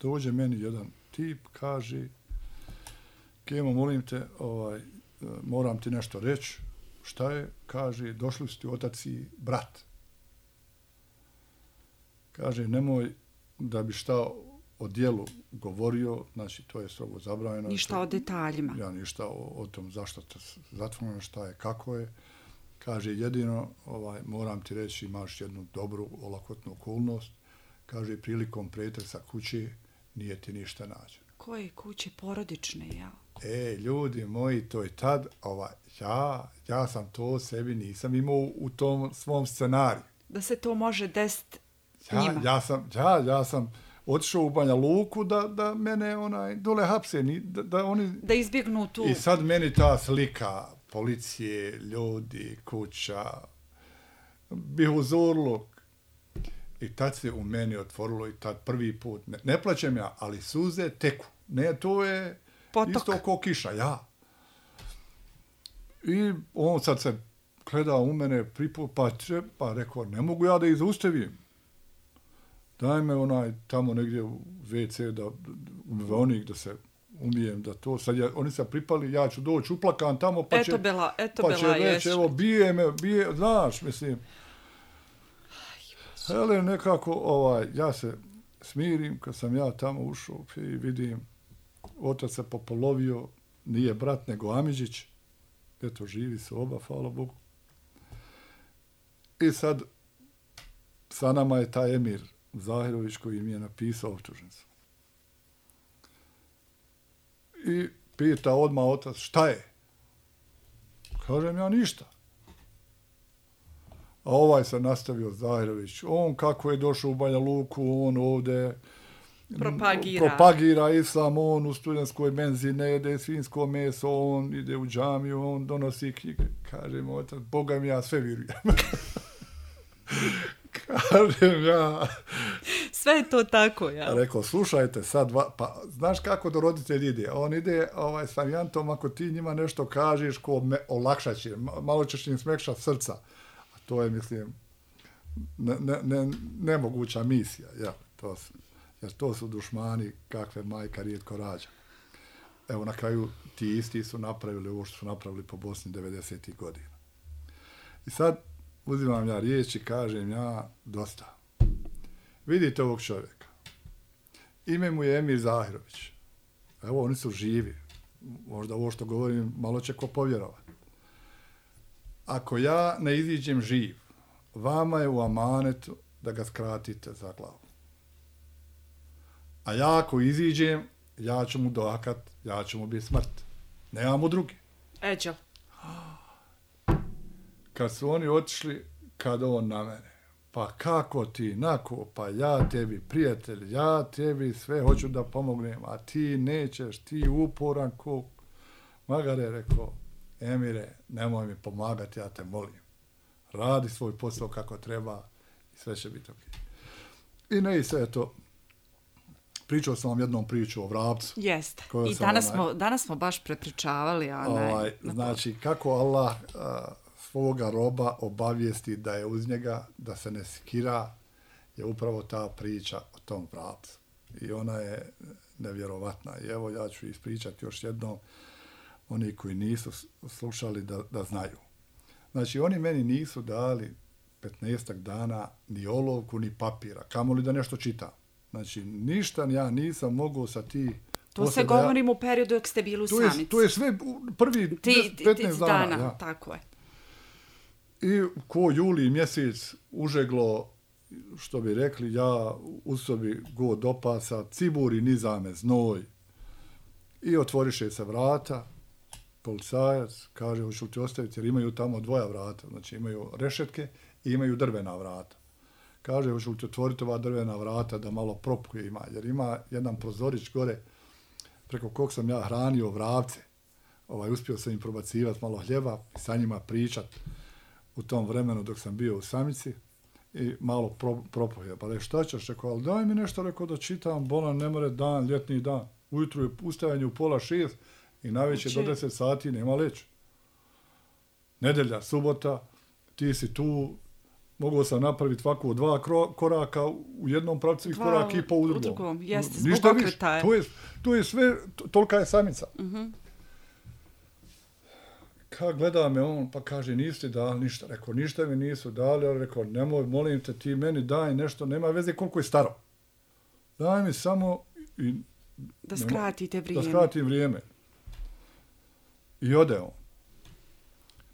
Speaker 3: dođe meni jedan tip, kaže, Kemo, molim te, ovaj, moram ti nešto reći. Šta je? Kaže, došli su ti otac i brat. Kaže, nemoj da bi šta o dijelu govorio, znači to je strogo zabranjeno.
Speaker 2: Ništa o detaljima.
Speaker 3: Ja ništa o, o tom zašto te zatvoreno, šta je, kako je. Kaže, jedino, ovaj, moram ti reći, imaš jednu dobru, olakotnu okolnost. Kaže, prilikom pretresa kuće nije ti ništa nađeno.
Speaker 2: Koje kuće? Porodične, jel?
Speaker 3: E, ljudi moji, to je tad, ovaj, ja, ja sam to sebi nisam imao u tom svom scenariju.
Speaker 2: Da se to može desiti
Speaker 3: ja,
Speaker 2: njima.
Speaker 3: Ja sam, ja, ja sam otišao u Banja Luku da, da mene onaj dole hapse, da, da oni...
Speaker 2: Da izbjegnu tu...
Speaker 3: I sad meni ta slika policije, ljudi, kuća, bih uzorluk. I tad se u meni otvorilo i tad prvi put, ne, ne plaćem ja, ali suze teku. Ne, to je
Speaker 2: Potok.
Speaker 3: Isto ko kiša, ja. I on sad se gleda u mene, pripu, pa, će, pa rekao, ne mogu ja da izustavim. Daj me onaj tamo negdje u ve ce da, u umivaonik da se umijem, da to, sad ja, oni se pripali, ja ću doći uplakan tamo, pa će,
Speaker 2: eto bela, eto
Speaker 3: pa će
Speaker 2: bela,
Speaker 3: reći, evo, bije me, bije, znaš, mislim. Hele, nekako, ovaj, ja se smirim, kad sam ja tamo ušao i vidim, otac se popolovio, nije brat, nego Amidžić, eto, živi se oba, hvala Bogu. I sad, sa nama je taj Emir Zahirović koji mi je napisao optužnicu. I pita odmah otac, šta je? Kažem ja ništa. A ovaj se nastavio Zahirović. On kako je došao u Banja Luku, on ovdje
Speaker 2: propagira.
Speaker 3: propagira islam, on u studentskoj menzi ne jede svinjsko meso, on ide u džamiju, on donosi knjige. Kažem otac, Boga mi ja sve vjerujem. Kažem ja...
Speaker 2: Sve je to tako, ja.
Speaker 3: Rekao, slušajte sad, pa znaš kako do roditelj ide? On ide ovaj, s varijantom, ako ti njima nešto kažeš, ko me olakšat će, malo ćeš im smekšat srca. A to je, mislim, ne, ne, ne, nemoguća misija. Ja, to su, jer to su dušmani kakve majka rijetko rađa. Evo, na kraju ti isti su napravili ovo što su napravili po Bosni devedesetih godina. I sad uzimam ja riječ i kažem ja, dosta. Vidite ovog čovjeka. Ime mu je Emir Zahirović. Evo, oni su živi. Možda ovo što govorim, malo će ko povjerovati. Ako ja ne iziđem živ, vama je u amanetu da ga skratite za glavu. A ja ako iziđem, ja ću mu doakat, ja ću mu biti smrt. Nemamo drugi.
Speaker 2: Eđo.
Speaker 3: Kad su oni otišli, kad on na mene. Pa kako ti, nako, pa ja tebi, prijatelj, ja tebi sve hoću da pomognem, a ti nećeš, ti uporan ko... Magare rekao, Emire, nemoj mi pomagati, ja te molim. Radi svoj posao kako treba i sve će biti ok. I ne i sve to. Pričao sam vam jednom priču o vrapcu.
Speaker 2: Jeste. I danas, onaj, smo, danas smo baš prepričavali. A ne,
Speaker 3: ovaj, znači, kako Allah... A, svoga roba obavijesti da je uz njega, da se ne sikira, je upravo ta priča o tom vrapcu. I ona je nevjerovatna. I evo ja ću ispričati još jednom, oni koji nisu slušali da, da znaju. Znači, oni meni nisu dali petnaestak dana ni olovku, ni papira, kamoli da nešto čitam. Znači, ništa ja nisam mogao sa ti...
Speaker 2: To se govorim ja, u periodu dok ste bili u Samici.
Speaker 3: To je sve prvi ti, petnaest dana.
Speaker 2: dana
Speaker 3: ja.
Speaker 2: Tako je.
Speaker 3: I ko juli mjesec užeglo, što bi rekli, ja u sobi god opasa, ciburi nizame znoj. I otvoriše se vrata, policajac kaže, hoću li ti ostaviti, jer imaju tamo dvoja vrata, znači imaju rešetke i imaju drvena vrata. Kaže, hoću li ti otvoriti ova drvena vrata da malo propuje ima, jer ima jedan prozorić gore, preko kog sam ja hranio vrapce. Ovaj, uspio sam im probacivati malo hljeba i sa njima pričat u tom vremenu dok sam bio u Samici i malo pro, propoje. Pa re, šta ćeš? Rekao, ali daj mi nešto, rekao, da čitam, bolan, ne more dan, ljetni dan. Ujutru je ustajanje u pola šest i najveće do deset sati nema leći. Nedelja, subota, ti si tu, mogao sam napraviti ovako dva koraka u jednom pravcu i korak i po u drugom.
Speaker 2: U drugom, jeste, zbog
Speaker 3: ništa
Speaker 2: okretaja.
Speaker 3: To je, to je sve, tolika je Samica.
Speaker 2: Uh-huh.
Speaker 3: Kad gleda me on, pa kaže, niste dali ništa. Rekao, ništa mi nisu dali, ali rekao, nemoj, molim te, ti meni daj nešto, nema veze koliko je staro. Daj mi samo... I,
Speaker 2: da skratite vrijeme.
Speaker 3: Da skratim vrijeme. I ode on.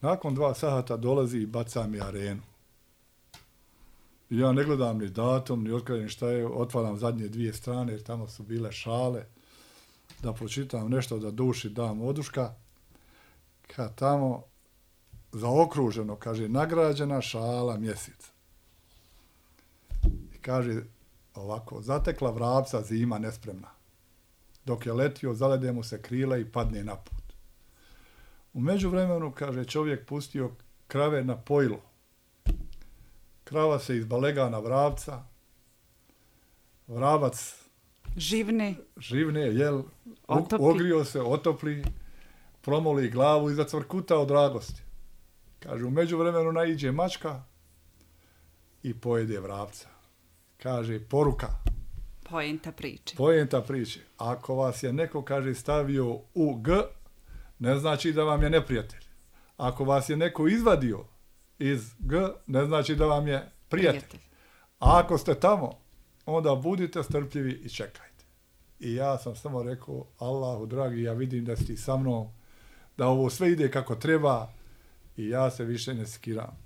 Speaker 3: Nakon dva sata dolazi i baca mi arenu. I ja ne gledam ni datum, ni otkrijem šta je, otvaram zadnje dvije strane, jer tamo su bile šale, da pročitam nešto, da duši dam oduška. Kad tamo zaokruženo, kaže, nagrađena šala mjeseca. I kaže, ovako, zatekla vrapca zima nespremna. Dok je letio, zalede mu se krila i padne na put. U međuvremenu, kaže, čovjek pustio krave na pojilo. Krava se izbalega na vrapca, vrabac
Speaker 2: živne,
Speaker 3: živne jel,
Speaker 2: Otopi.
Speaker 3: ogrio se, otopli, promoli glavu i zacvrkuta od radosti. Kaže, u međuvremenu naiđe mačka i pojede vrapca. Kaže, poruka.
Speaker 2: Poenta priče.
Speaker 3: Poenta priče. Ako vas je neko, kaže, stavio u G, ne znači da vam je neprijatelj. Ako vas je neko izvadio iz G, ne znači da vam je prijatelj. prijatelj. A ako ste tamo, onda budite strpljivi i čekajte. I ja sam samo rekao, Allahu dragi, ja vidim da si ti sa mnom, da ovo sve ide kako treba i ja se više ne skiram.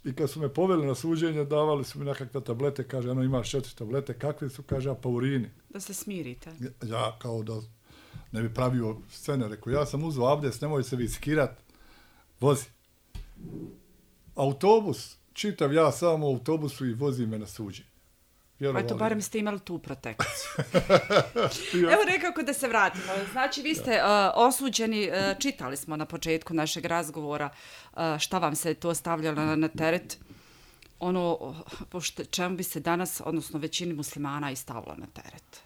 Speaker 3: I kad su me poveli na suđenje, davali su mi nekakve tablete, kaže, ono imaš četiri tablete, kakve su, kaže, apaurini.
Speaker 2: Da se smirite.
Speaker 3: Ja kao da ne bi pravio scene, rekao, ja sam uzeo abdest, nemoj se vi skirat, vozi. Autobus, čitav ja sam u autobusu i vozi me na suđenje.
Speaker 2: Pa to barem ste imali tu protekciju. Evo nekako da se vratimo. Znači, vi ste uh, osuđeni, uh, čitali smo na početku našeg razgovora uh, šta vam se to stavljalo na, na teret. Ono, pošto čemu bi se danas, odnosno većini muslimana i stavilo na teret.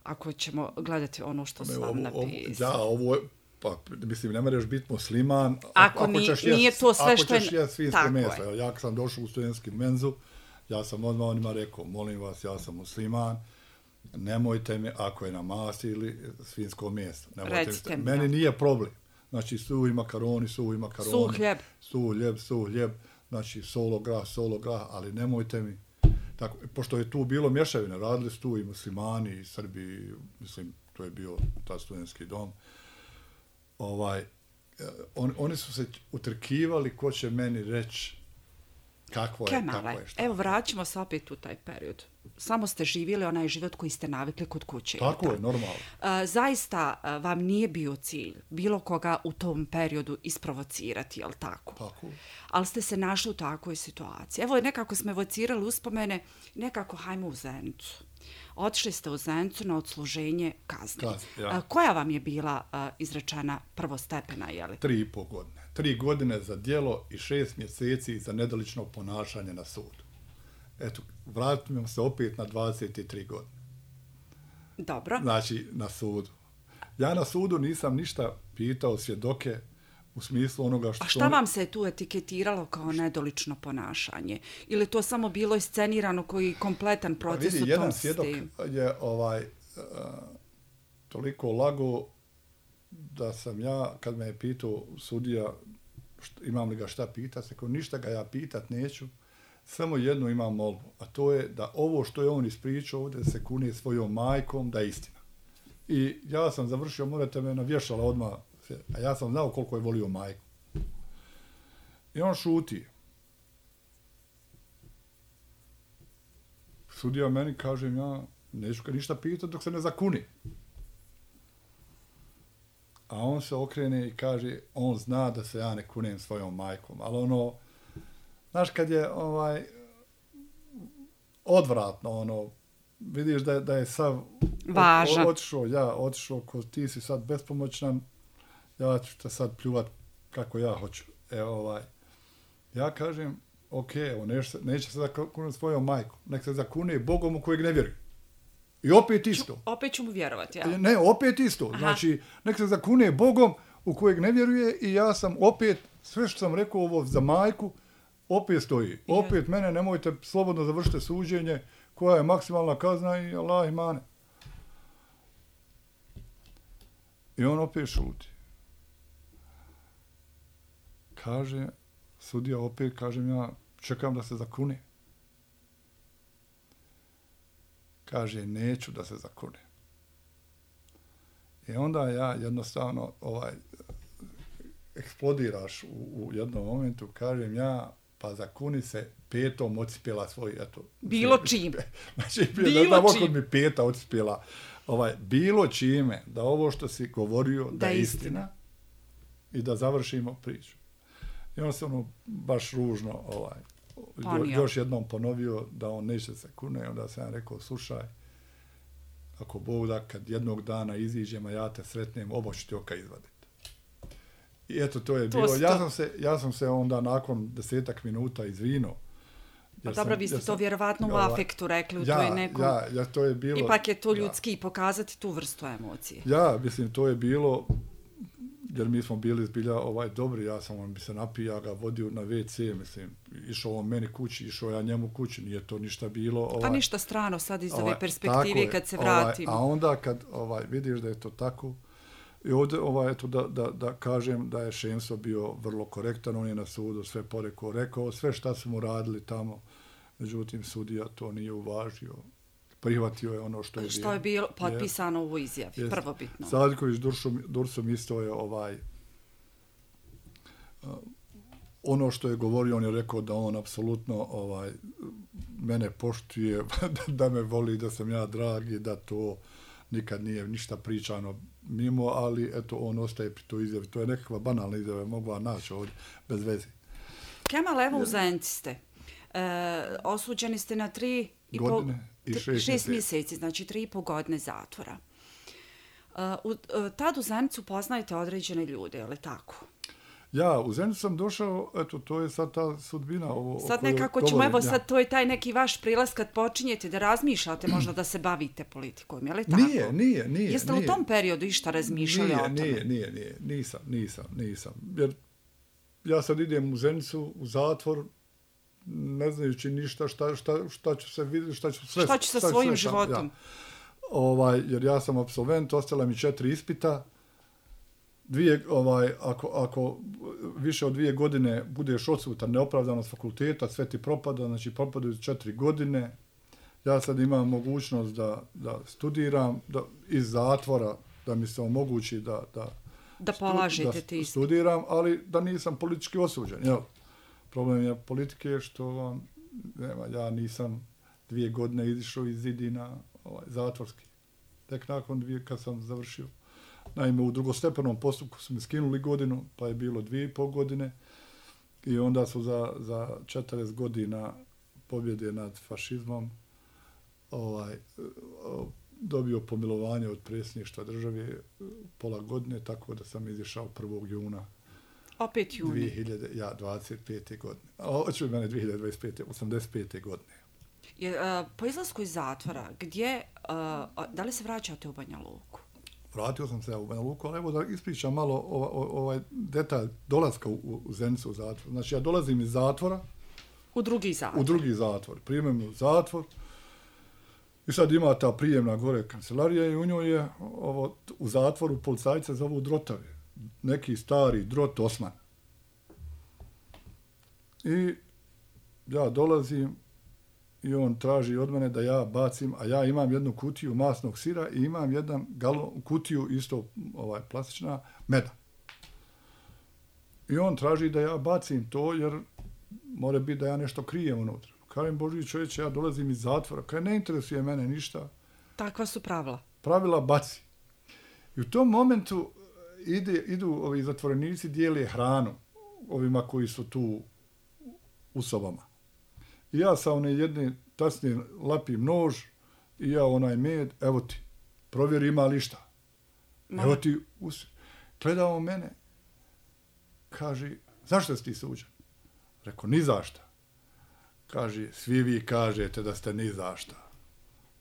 Speaker 2: Ako ćemo gledati ono što su vam napisali.
Speaker 3: Da, ovo je, pa mislim, ne moraš biti musliman.
Speaker 2: Ako, ako ni, jest, nije to sve što je...
Speaker 3: Ako ćeš jest svinjsko meso. Ja sam došao u studentski menzu, ja sam odmah onima rekao, molim vas, ja sam musliman, nemojte mi, ako je na masti ili svinjsko meso.
Speaker 2: Recite mi.
Speaker 3: Meni nije problem. Znači, suhi makaroni, suhi makaroni.
Speaker 2: Suh hljeb.
Speaker 3: Suh hljeb, suh hljeb. Znači, solo grah, solo grah, ali nemojte mi. Tako, pošto je tu bilo mješavine, radili su tu i muslimani, i Srbi, mislim, to je bio ta studentski dom. Ovaj, on, oni su se utrkivali ko će meni reći kako je,
Speaker 2: Kemale,
Speaker 3: kako je, šta.
Speaker 2: Evo vraćamo se opet u taj period. Samo ste živjeli onaj život koji ste navikli kod kuće.
Speaker 3: Tako je, normalno.
Speaker 2: Uh, zaista uh, vam nije bio cilj bilo koga u tom periodu isprovocirati, jel tako?
Speaker 3: Tako.
Speaker 2: Ali ste se našli u takvoj situaciji. Evo, nekako smo evocirali uspomene, nekako hajmo u Zenicu. Otišli ste u Zenicu na odsluženje kazne.
Speaker 3: Kazne, ja.
Speaker 2: uh, koja vam je bila uh, izrečena prvostepena, jeli?
Speaker 3: Tri i pol godine. Tri godine za djelo i šest mjeseci za nedolično ponašanje na sudu. Eto, vratimo se opet na dvadeset tri godine.
Speaker 2: Dobro.
Speaker 3: Znači, na sudu. Ja na sudu nisam ništa pitao svjedoke u smislu onoga što...
Speaker 2: A šta vam se tu etiketiralo kao nedolično ponašanje? Ili to samo bilo iscenirano koji kompletan proces
Speaker 3: vidi,
Speaker 2: u tom
Speaker 3: jedan svjedok je ovaj, uh, toliko lago da sam ja, kad me je pitao sudija što, imam li ga šta pitat, rekao, ništa ga ja pitat neću, samo jednu imam molbu, a to je da ovo što je on ispričao ovdje se kune svojom majkom, da je istina. I ja sam završio, morate me navješala odmah, a ja sam znao koliko je volio majku. I on šuti. Sudija meni, kažem ja, neću ga ništa pitati dok se ne zakuni. A on se okrene i kaže, on zna da se ja ne kunem svojom majkom, ali ono, znaš, kad je ovaj odvratno, ono, vidiš da je, da je sav
Speaker 2: važan.
Speaker 3: Otišao, ja, otišao, ko ti si sad bespomoćnan, ja ću te sad pljuvat kako ja hoću. E, ovaj, ja kažem, ok, evo, neće, neće se zakunem svojom majkom, nek se zakune Bogom u kojeg ne vjeruje. I opet isto.
Speaker 2: Ču, opet ću mu vjerovati, ja?
Speaker 3: Ne, opet isto. Aha. Znači, nek se zakune Bogom u kojeg ne vjeruje i ja sam opet, sve što sam rekao ovo za majku, opet stoji. Opet mene, nemojte slobodno završite suđenje, koja je maksimalna kazna i Allah i mane. I on opet šuti. Kaže, sudija opet, kažem ja, čekam da se zakune. Kaže, neću da se zakune. I onda ja jednostavno ovaj, eksplodiraš u, u jednom momentu, kažem ja, pa zakuni se petom odspjela svoj, eto.
Speaker 2: Bilo čim.
Speaker 3: Znači, bilo da čim. Mi peta odspjela. Ovaj, bilo čime, da ovo što si govorio, da, da je istina. istina. I da završimo priču. I on se ono baš ružno ovaj,
Speaker 2: Ponio.
Speaker 3: još jednom ponovio da on neće se kune, onda sam ja rekao, slušaj, ako Bog da, kad jednog dana iziđem, a ja te sretnem, oba ću ti oka izvaditi. I eto, to je
Speaker 2: to
Speaker 3: bilo. Ja
Speaker 2: to.
Speaker 3: sam, se, ja sam se onda nakon desetak minuta izvinuo.
Speaker 2: Pa dobro, vi ste to vjerovatno u afektu rekli, u
Speaker 3: ja,
Speaker 2: toj nekom...
Speaker 3: Ja, ja, to je bilo...
Speaker 2: Ipak je to ljudski ja. pokazati tu vrstu emocije.
Speaker 3: Ja, mislim, to je bilo... Jer mi smo bili zbilja ovaj, dobri, ja sam on bi se napio, ja ga vodio na ve ce, mislim, išao on meni kući, išao ja njemu kući, nije to ništa bilo. Ovaj,
Speaker 2: a ništa strano sad iz
Speaker 3: ovaj,
Speaker 2: ove perspektive kad se vratimo.
Speaker 3: Ovaj, a onda kad ovaj, vidiš da je to tako, i ovdje ovaj, eto, da, da, da kažem da je Šemso bio vrlo korektan, on je na sudu sve porekao, rekao sve šta su mu radili tamo, međutim sudija to nije uvažio. Prihvatio je ono što je bilo.
Speaker 2: Što je bilo potpisano u izjavi, je, prvobitno.
Speaker 3: Sadiković Dursom, Dursom isto je ovaj, uh, ono što je govorio, on je rekao da on apsolutno ovaj, mene poštuje, da me voli, da sam ja dragi, da to nikad nije ništa pričano mimo, ali eto, on ostaje pri toj izjavi. To je nekakva banalna izjava, mogla naći ovdje bez veze.
Speaker 2: Kemal, evo u Zenici ste. E, osuđeni ste na tri i
Speaker 3: godine.
Speaker 2: Po...
Speaker 3: I šest,
Speaker 2: šest mjeseci, znači tri i po godine zatvora. Uh, u, uh, tad u Zenicu poznajete određene ljude, je li tako?
Speaker 3: Ja, u Zenicu sam došao, eto, to je sad ta sudbina. Ovo,
Speaker 2: sad nekako ćemo, evo sad, to je taj neki vaš prilaz kad počinjete da razmišljate možda da se bavite politikom, je li tako?
Speaker 3: Nije, nije, nije.
Speaker 2: Jeste li
Speaker 3: nije.
Speaker 2: u tom periodu išta razmišljali
Speaker 3: nije,
Speaker 2: o tome?
Speaker 3: Nije, nije, nije, nisam, nisam, nisam. Jer ja sad idem u Zenicu, u zatvor, ne znajući ništa šta, šta, šta ću se vidjeti, šta ću sve...
Speaker 2: Šta ću sa šta svojim
Speaker 3: sve,
Speaker 2: životom?
Speaker 3: Ja. Ovaj, jer ja sam apsolvent, ostala mi četiri ispita. Dvije, ovaj, ako, ako više od dvije godine budeš odsutan neopravdano s fakulteta, sve ti propada, znači propadaju četiri godine. Ja sad imam mogućnost da, da studiram da, iz zatvora, da mi se omogući da, da,
Speaker 2: da polažete
Speaker 3: stu,
Speaker 2: ti
Speaker 3: da studiram, ali da nisam politički osuđen, jel? Problem je politike što nema, ja nisam dvije godine izišao iz zidina ovaj, zatvorski. Tek nakon dvije kad sam završio. Naime, u drugostepenom postupku su mi skinuli godinu, pa je bilo dvije i pol godine i onda su za, za četrdeset godina pobjede nad fašizmom ovaj, dobio pomilovanje od predsjedništva države pola godine, tako da sam izišao prvog juna.
Speaker 2: Opet juni.
Speaker 3: dvije hiljade dvadeset pete. godine. Hoću mene dvije hiljade dvadeset pete. osamdeset pete. godine.
Speaker 2: Je, uh, po izlasku iz zatvora, gdje, uh, da li se vraćate u Banja Luku?
Speaker 3: Vratio sam se u Banja Luku, ali evo da ispričam malo ovaj, ovaj detalj dolaska u, u Zenicu u zatvor. Znači ja dolazim iz zatvora.
Speaker 2: U drugi zatvor.
Speaker 3: U drugi zatvor. Primem u zatvor. I sad ima ta prijemna gore kancelarija i u njoj je ovo, u zatvoru policajca zovu drotave. Neki stari drot Osman. I ja dolazim i on traži od mene da ja bacim, a ja imam jednu kutiju masnog sira i imam jedan galon, kutiju isto ovaj, plastična meda. I on traži da ja bacim to jer mora biti da ja nešto krijem unutra. Kažem, Boži čovječe, ja dolazim iz zatvora, kaj ne interesuje mene ništa.
Speaker 2: Takva su pravila.
Speaker 3: Pravila baci. I u tom momentu ide, idu ovi zatvorenici, dijele hranu ovima koji su tu u sobama. I ja sa one jedne tasne lapim nož i ja onaj med, evo ti, provjeri ima li šta. Ma. Evo ti, us... gledao mene, kaže, zašto si ti suđen? Rekao, ni zašta. Kaže, svi vi kažete da ste ni zašta,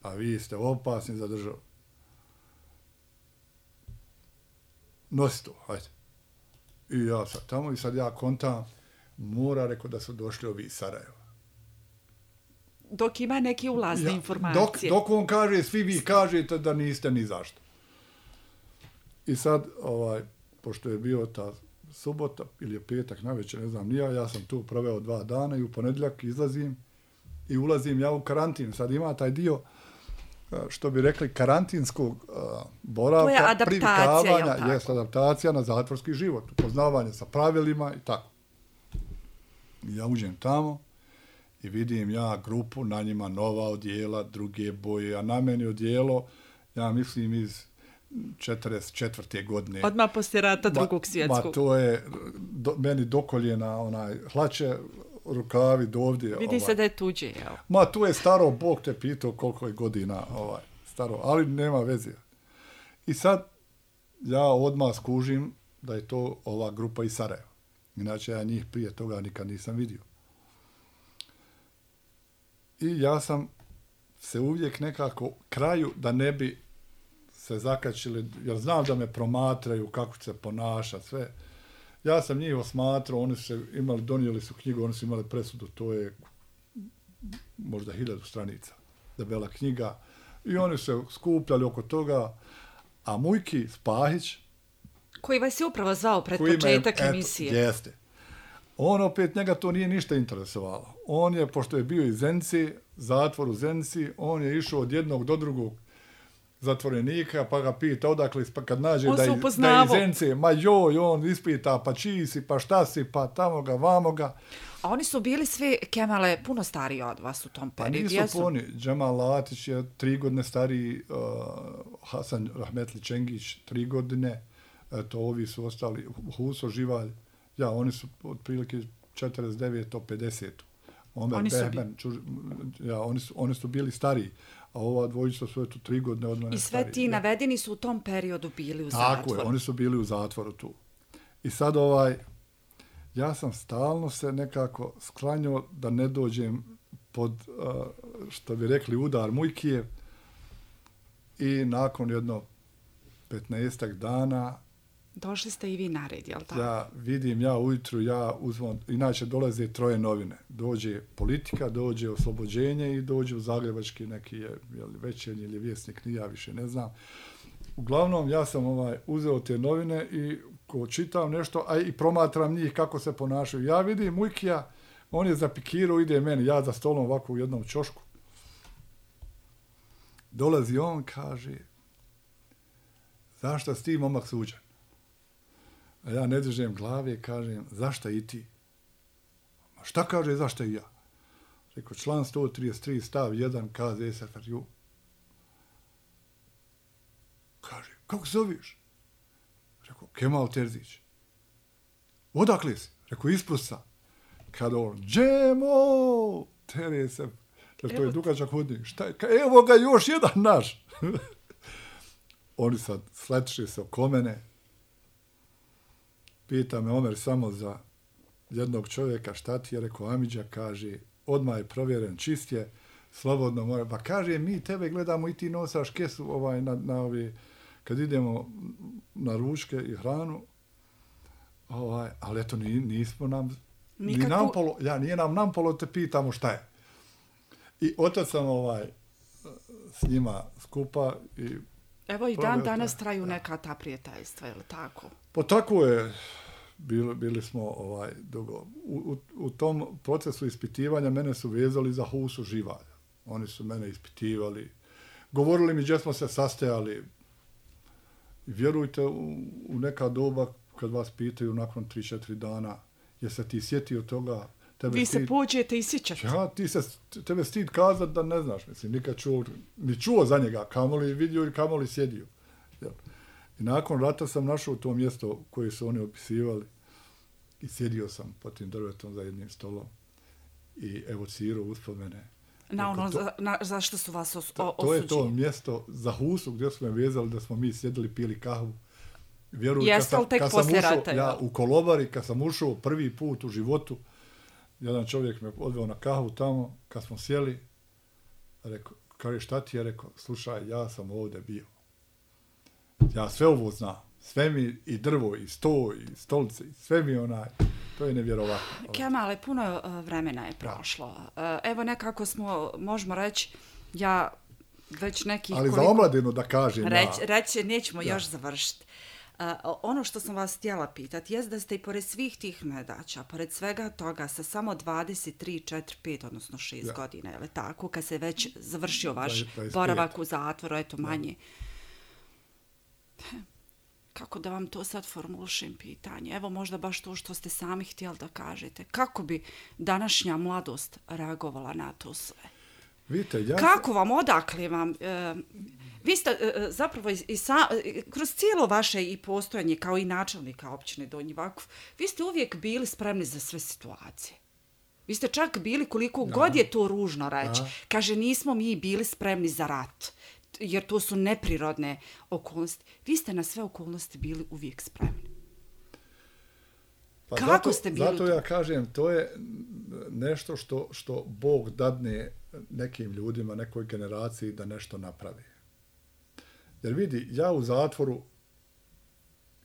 Speaker 3: a vi ste opasni za državu. Nosi to, hajde. I ja sad tamo i sad ja kontam, mora, rekao da su došli ovi iz Sarajeva.
Speaker 2: Dok ima neke ulazne
Speaker 3: ja,
Speaker 2: informacije.
Speaker 3: Dok, dok on kaže, svi vi kažete da niste ni zašto. I sad, ovaj, pošto je bio ta subota ili je petak navečer, ne znam nija, ja sam tu proveo dva dana i u ponedjeljak izlazim i ulazim ja u karantin. Sad ima taj dio, što bi rekli, karantinskog uh, boravka,
Speaker 2: to je adaptacija, je li tako?
Speaker 3: Jest adaptacija na zatvorski život, upoznavanje sa pravilima i tako. I ja uđem tamo i vidim ja grupu, na njima nova odjela, druge boje, a na meni odjelo, ja mislim iz četrdeset četvrte. godine.
Speaker 2: Odmah poslije rata drugog svjetskog.
Speaker 3: Ma to je do, meni do koljena onaj hlače, rukavi do ovdje.
Speaker 2: Vidi
Speaker 3: ovaj.
Speaker 2: se da je tuđe, jel?
Speaker 3: Ma, tu je staro, Bog te pitao koliko je godina ovaj, staro, ali nema veze. I sad ja odmah skužim da je to ova grupa iz Sarajeva. Inače, ja njih prije toga nikad nisam vidio. I ja sam se uvijek nekako kraju da ne bi se zakačili, jer znam da me promatraju kako će se ponašati, sve. Ja sam njih osmatrao, oni su se imali, donijeli su knjigu, oni su imali presudu, to je možda hiljadu stranica, debela knjiga. I oni su se skupljali oko toga, a Mujki Spahić,
Speaker 2: koji vas je upravo zvao pred početak emisije.
Speaker 3: Jeste. On opet, njega to nije ništa interesovalo. On je, pošto je bio iz Zenci, zatvor u Zenci, on je išao od jednog do drugog zatvorenika, pa ga pita odakle, pa kad nađe da je, da je iz Zence, ma joj, on ispita, pa čiji si, pa šta si, pa tamo ga, vamo ga.
Speaker 2: A oni su bili svi, Kemale, puno stariji od vas u tom periodu.
Speaker 3: Pa nisu poni. Džemal Latić je tri godine stariji, uh, Hasan Rahmetli Čengić tri godine, eto, ovi su ostali, Huso Živalj, ja, oni su otprilike četrdeset deveto pedeseto Omer
Speaker 2: oni
Speaker 3: Behmen, čuž, ja, oni su, oni su bili stariji, a ova dvojica su eto tri godine od mene
Speaker 2: i sve
Speaker 3: stariji.
Speaker 2: Ti ja. Navedeni su u tom periodu bili u zatvoru.
Speaker 3: Tako je, oni su bili u zatvoru tu. I sad ovaj, ja sam stalno se nekako sklanjao da ne dođem pod, uh, što bi rekli, udar Mujkije. I nakon jedno petnaestak dana
Speaker 2: došli ste i vi na red, jel tako?
Speaker 3: Ja vidim, ja ujutru, ja uzmem, inače dolaze troje novine. Dođe Politika, dođe Oslobođenje i dođe u Zagrebački neki je, je li Večernji ili Vjesnik, ni ja više ne znam. Uglavnom, ja sam ovaj uzeo te novine i ko čitam nešto, a i promatram njih kako se ponašaju. Ja vidim Mujkija, on je zapikirao, ide meni, ja za stolom ovako u jednom ćošku. Dolazi on, kaže, zašto si ti momak suđen? A ja ne držem glave, kažem, zašto i ti? A šta kaže, zašto i ja? Rekao, član sto trideset tri stav jedan kaže S F R U. Kaže, kako se zoveš? Rekao, Kemal Terzić. Odakle si? Rekao, iz Prusa. Kada on, Džemo! Tere se. To je dugačak hodnik. Šta je? Evo ga još jedan naš. Oni sad sletiše se oko mene. Pita me Omer samo za jednog čovjeka, šta ti je, rekao Amidža, kaže, odmah je provjeren, čist je, slobodno more. Pa kaže, mi tebe gledamo i ti nosaš kesu ovaj, na, na ovi, kad idemo na ručke i hranu, ovaj, ali eto, ni, nismo nam, Nikako... ni nampolo, ja, nije nam nampolo, te pitamo šta je. I otac sam ovaj, s njima skupa i
Speaker 2: evo i dan danas traju neka ta prijateljstva, je li tako?
Speaker 3: Pa tako je, bili, bili smo ovaj, dugo. U, u, u tom procesu ispitivanja mene su vezali za Husu Živalja. Oni su mene ispitivali, govorili mi gdje smo se sastajali. I vjerujte, u, u neka doba kad vas pitaju nakon tri četiri dana, je se ti sjetio toga? Tebe
Speaker 2: Vi
Speaker 3: stid...
Speaker 2: se pođete i sjećate.
Speaker 3: Ja, ti se, tebe stid kazat da ne znaš, mislim, nikad čuo, ni čuo za njega, kamoli vidio i kamoli sjedio. Jel? I nakon rata sam našao to mjesto koje su oni opisivali i sjedio sam pod tim drvetom za jednim stolom i evocirao uspomene.
Speaker 2: Na ono, to, za, na, zašto su vas os,
Speaker 3: to, to je to mjesto za Husu gdje smo me vezali da smo mi sjedili, pili kahvu. Vjeruj,
Speaker 2: jeste li tek poslije rata?
Speaker 3: Ja, u Kolobari, kad sam ušao prvi put u životu, jedan čovjek me odveo na kahvu tamo, kad smo sjeli, rekao, kaže, šta ti je? Rekao, slušaj, ja sam ovdje bio. Ja sve ovo znam. Sve mi, i drvo, i sto, i stolice, i sve mi onaj, to je nevjerovatno.
Speaker 2: Kemale, puno vremena je prošlo. Evo nekako smo, možemo reći, ja već nekih...
Speaker 3: Ali
Speaker 2: koliko...
Speaker 3: za omladinu da kažem,
Speaker 2: Reć,
Speaker 3: ja...
Speaker 2: Reći, nećemo
Speaker 3: ja.
Speaker 2: još završiti. Uh, ono što sam vas htjela pitati je da ste i pored svih tih nedaća, pored svega toga sa samo dvadeset tri, četiri, pet, odnosno šest ja. godina, je li tako, kad se već završio vaš dvadeset pet boravak u zatvoru, eto manje. Ja. Kako da vam to sad formulišem pitanje? Evo možda baš to što ste sami htjeli da kažete. Kako bi današnja mladost reagovala na to sve?
Speaker 3: Vidite, ja...
Speaker 2: Kako vam, odakle vam... E, vi ste e, zapravo i, i sa, e, kroz cijelo vaše i postojanje kao i načelnika općine Donji Vakuf, vi ste uvijek bili spremni za sve situacije. Vi ste čak bili, koliko ja. god je to ružno reći,
Speaker 3: ja.
Speaker 2: kaže, nismo mi bili spremni za rat, jer to su neprirodne okolnosti. Vi ste na sve okolnosti bili uvijek spremni.
Speaker 3: Pa
Speaker 2: Kako
Speaker 3: zato,
Speaker 2: ste bili?
Speaker 3: Zato ja kažem, to je nešto što, što Bog dadne nekim ljudima, nekoj generaciji da nešto napravi. Jer vidi, ja u zatvoru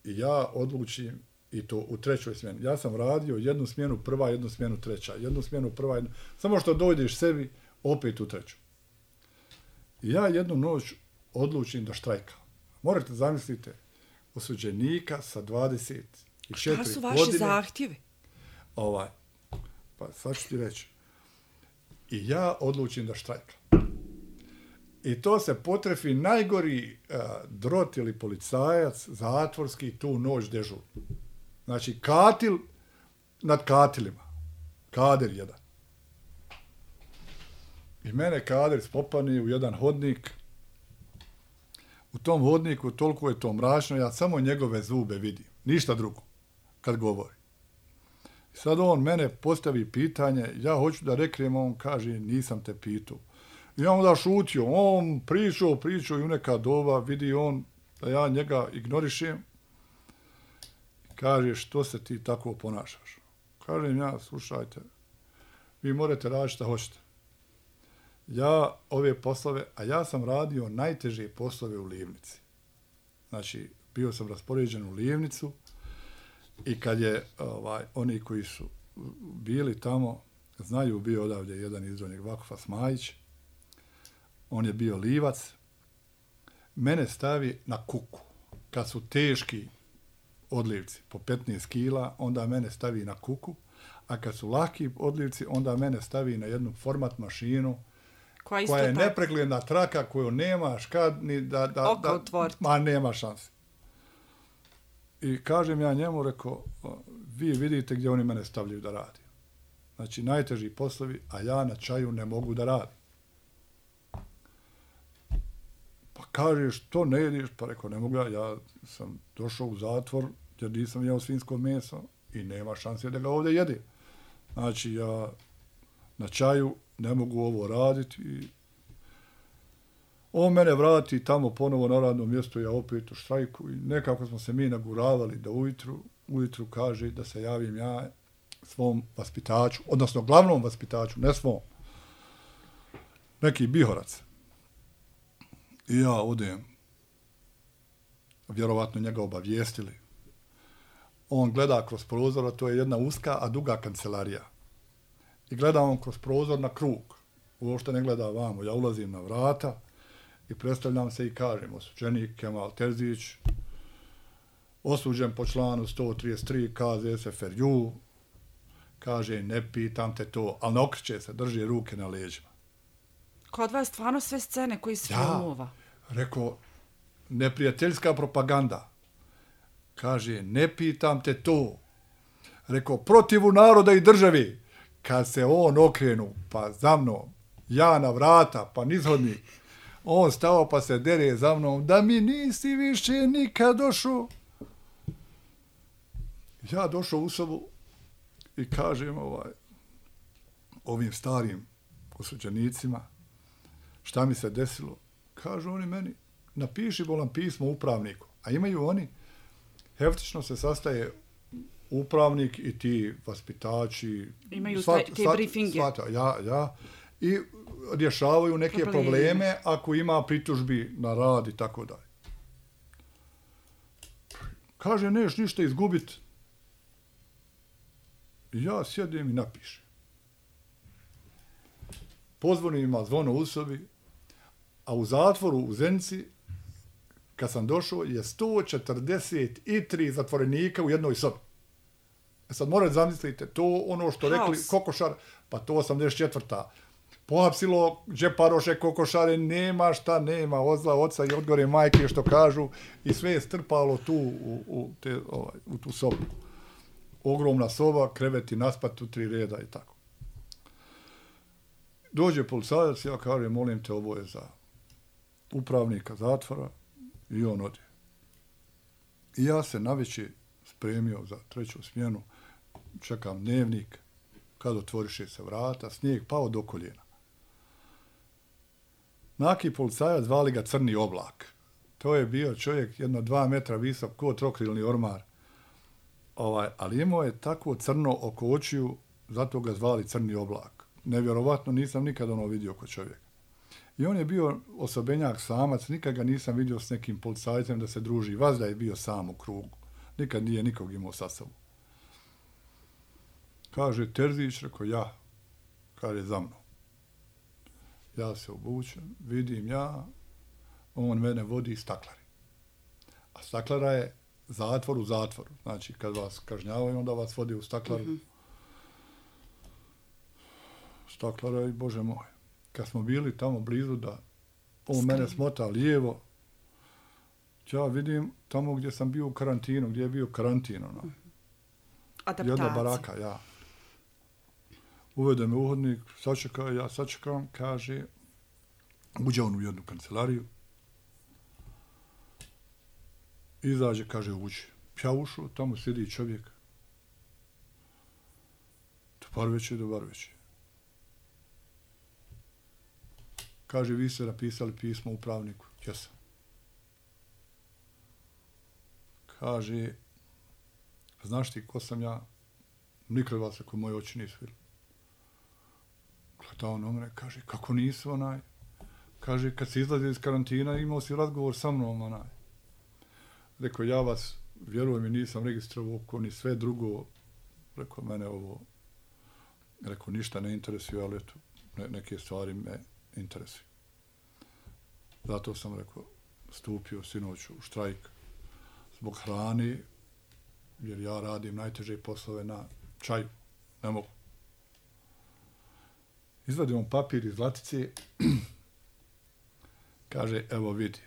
Speaker 3: i ja odlučim i to u trećoj smjeni. Ja sam radio jednu smjenu prva, jednu smjenu treća, jednu smjenu prva, jednu... samo što dođeš sebi, opet u treću. I ja jednu noć odlučim da štrajkam. Morate zamislite osuđenika sa dvadeset četiri godine.
Speaker 2: Šta su vaši godine, zahtjevi?
Speaker 3: Ovaj, pa sad ću ti reći. I ja odlučim da štrajkam. I to se potrefi najgori uh, drot ili policajac zatvorski tu noć dežur. Znači, katil nad katilima. Kader jedan. I mene kader spopani u jedan hodnik. U tom hodniku toliko je to mračno, ja samo njegove zube vidim. Ništa drugo, kad govori. I sad on mene postavi pitanje, ja hoću da reknem, on kaže, nisam te pitao. I ja onda šutio, on pričao, pričao i u neka doba, vidi on da ja njega ignorišem. Kaže, što se ti tako ponašaš? Kažem ja, slušajte, vi morate raditi šta hoćete. Ja ove poslove, a ja sam radio najteže poslove u Livnici. Znači, bio sam raspoređen u Livnicu i kad je ovaj, oni koji su bili tamo, znaju, bio odavdje jedan izvornik Vakfa Smajić, on je bio Livac, mene stavi na kuku. Kad su teški odlivci po petnaest kila, onda mene stavi na kuku, a kad su laki odlivci, onda mene stavi na jednu format mašinu koja, koja je tak. nepregledna traka koju nemaš kad ni da... da,
Speaker 2: Oko otvoriti.
Speaker 3: Ma nema šanse. I kažem ja njemu, rekao, vi vidite gdje oni mene stavljaju da radim. Znači, najteži poslovi, a ja na čaju ne mogu da radim. Pa kažeš, to ne jediš? Pa rekao, ne mogu ja, ja sam došao u zatvor jer nisam jeo svinjsko meso i nema šanse da ga ovdje jede. Znači, ja na čaju ne mogu ovo raditi i on mene vrati tamo ponovo na radno mjesto, ja opet u štrajku i nekako smo se mi naguravali da ujutru, ujutru kaže da se javim ja svom vaspitaču, odnosno glavnom vaspitaču, ne svom, neki Bihorac. I ja odem, vjerovatno njega obavijestili. On gleda kroz prozor, a to je jedna uska, a duga kancelarija. I gleda on kroz prozor na krug. Uopšte ne gleda vamo. Ja ulazim na vrata i predstavljam se i kažem, osuđenik Kemal Terzić, osuđen po članu sto trideset tri K Z S F R U, kaže, ne pitam te to, ali ne okreće se, drži ruke na leđima.
Speaker 2: Kod vas stvarno sve scene koji se
Speaker 3: ja,
Speaker 2: filmova.
Speaker 3: Rekao, neprijateljska propaganda. Kaže, ne pitam te to. Rekao, protivu naroda i državi. Kad se on okrenu, pa za mnom, ja na vrata, pa nizhodnik, on stao pa se dere za mnom, da mi nisi više nikad došao. Ja došao u sobu i kažem ovaj, ovim starim osuđenicima, šta mi se desilo? Kažu oni meni, napiši bolan pismo upravniku. A imaju oni, heftično se sastaje upravnik i ti vaspitači.
Speaker 2: Imaju svat, te, te svat, briefinge.
Speaker 3: Svata, ja, ja. I rješavaju neke probleme. probleme ako ima pritužbi na rad i tako dalje. Kaže, neš ništa izgubiti. Ja sjedim i napišem. Pozvoni ima zvono u sobi, a u zatvoru u Zenici, kad sam došao, je sto četrdeset tri zatvorenika u jednoj sobi. E sad morate zamislite, to ono što rekli House. Kokošar, pa to osamdeset četvrta Pohapsilo džeparoše kokošare, nema šta, nema, odzla oca i odgore majke što kažu i sve je strpalo tu u, u, te, ovaj, u tu sobu. Ogromna soba, kreveti naspat u tri reda i tako. Dođe policajac, ja kažem, molim te, ovo je za upravnika zatvora i on ode. I ja se navečer spremio za treću smjenu, čekam dnevnik kad otvoriše se vrata, snijeg pao do koljena. Naki policajac, zvali ga Crni oblak. To je bio čovjek jedno dva metra visok, ko trokrilni ormar. Ovaj, ali imao je tako crno oko očiju, zato ga zvali Crni oblak. Nevjerovatno, nisam nikad ono vidio kod čovjeka. I on je bio osobenjak samac, nikad ga nisam vidio s nekim policajcem da se druži. Vazda je bio sam u krugu. Nikad nije nikog imao sa sobom. Kaže Terzić, rekao ja. Kaže za mnom. Ja se obučem, vidim ja, on mene vodi staklari. A staklara je zatvor u zatvoru. Znači, kad vas kažnjavaju, onda vas vodi u staklaru. Mm-hmm. Staklara je, Bože moj. Kad smo bili tamo blizu da on Skri. mene smota lijevo, ja vidim tamo gdje sam bio u karantinu, gdje je bio karantin, ono.
Speaker 2: Adaptacija.
Speaker 3: Jedna baraka, ja. Uvede me uhodnik, sačeka, ja sačekam, kaže, uđe on u jednu kancelariju, izađe, kaže, uđe. Ja ušao, tamo sjedi čovjek. Dobar večer, dobar večer. Kaže, vi ste napisali pismo upravniku. Jesam. Kaže, znaš ti ko sam ja? Nikad vas ako moje oči nisu vidjeli. Gleda on omre, kaže, kako nisu onaj? Kaže, kad si izlazio iz karantina, imao si razgovor sa mnom onaj. Rekao, ja vas, vjerujem mi, nisam registrovao oko ni sve drugo. Rekao, mene ovo, rekao, ništa ne interesuje, ali eto, ne, neke stvari me interesuju. Zato sam, rekao, stupio sinoć u štrajk zbog hrane, jer ja radim najteže poslove na čaju. Ne mogu. Izvadim on papir iz latice, kaže, evo vidi,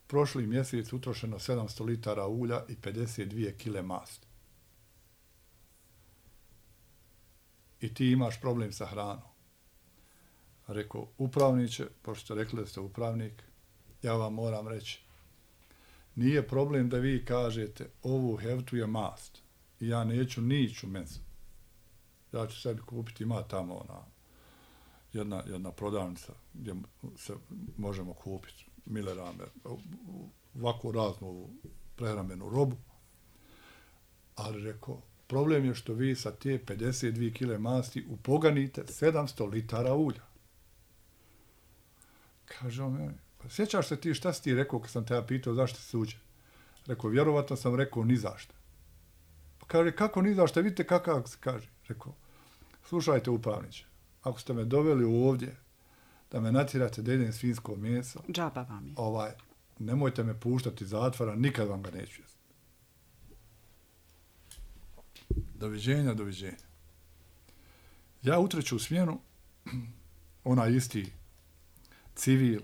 Speaker 3: prošli mjesec utrošeno sedamsto litara ulja i pedeset dvije kile masti. I ti imaš problem sa hranom. Rekao, upravniče, pošto ste rekli da ste upravnik, ja vam moram reći, nije problem da vi kažete ovu heftu je mast i ja neću niću meso. Ja ću sebi kupiti, ima tamo ona jedna, jedna prodavnica gdje se možemo kupiti milerame, ovako raznu ovu prehrambenu robu. Ali rekao, problem je što vi sa te pedeset dvije kile masti upoganite sedamsto litara ulja. Kaže on meni, pa sjećaš se ti šta si ti rekao kad sam te ja pitao zašto se uđe? Rekao, vjerovatno sam rekao ni zašto. Pa kaže, kako ni zašto? Vidite kakav se kaže. Rekao, slušajte upravniče, ako ste me doveli ovdje da me natjerate da jedem svinjsko meso,
Speaker 2: džaba vam je.
Speaker 3: Ovaj, nemojte me puštati iz zatvora, nikad vam ga neću jesti. Doviđenja, doviđenja. Ja utreću u smjenu, onaj isti civil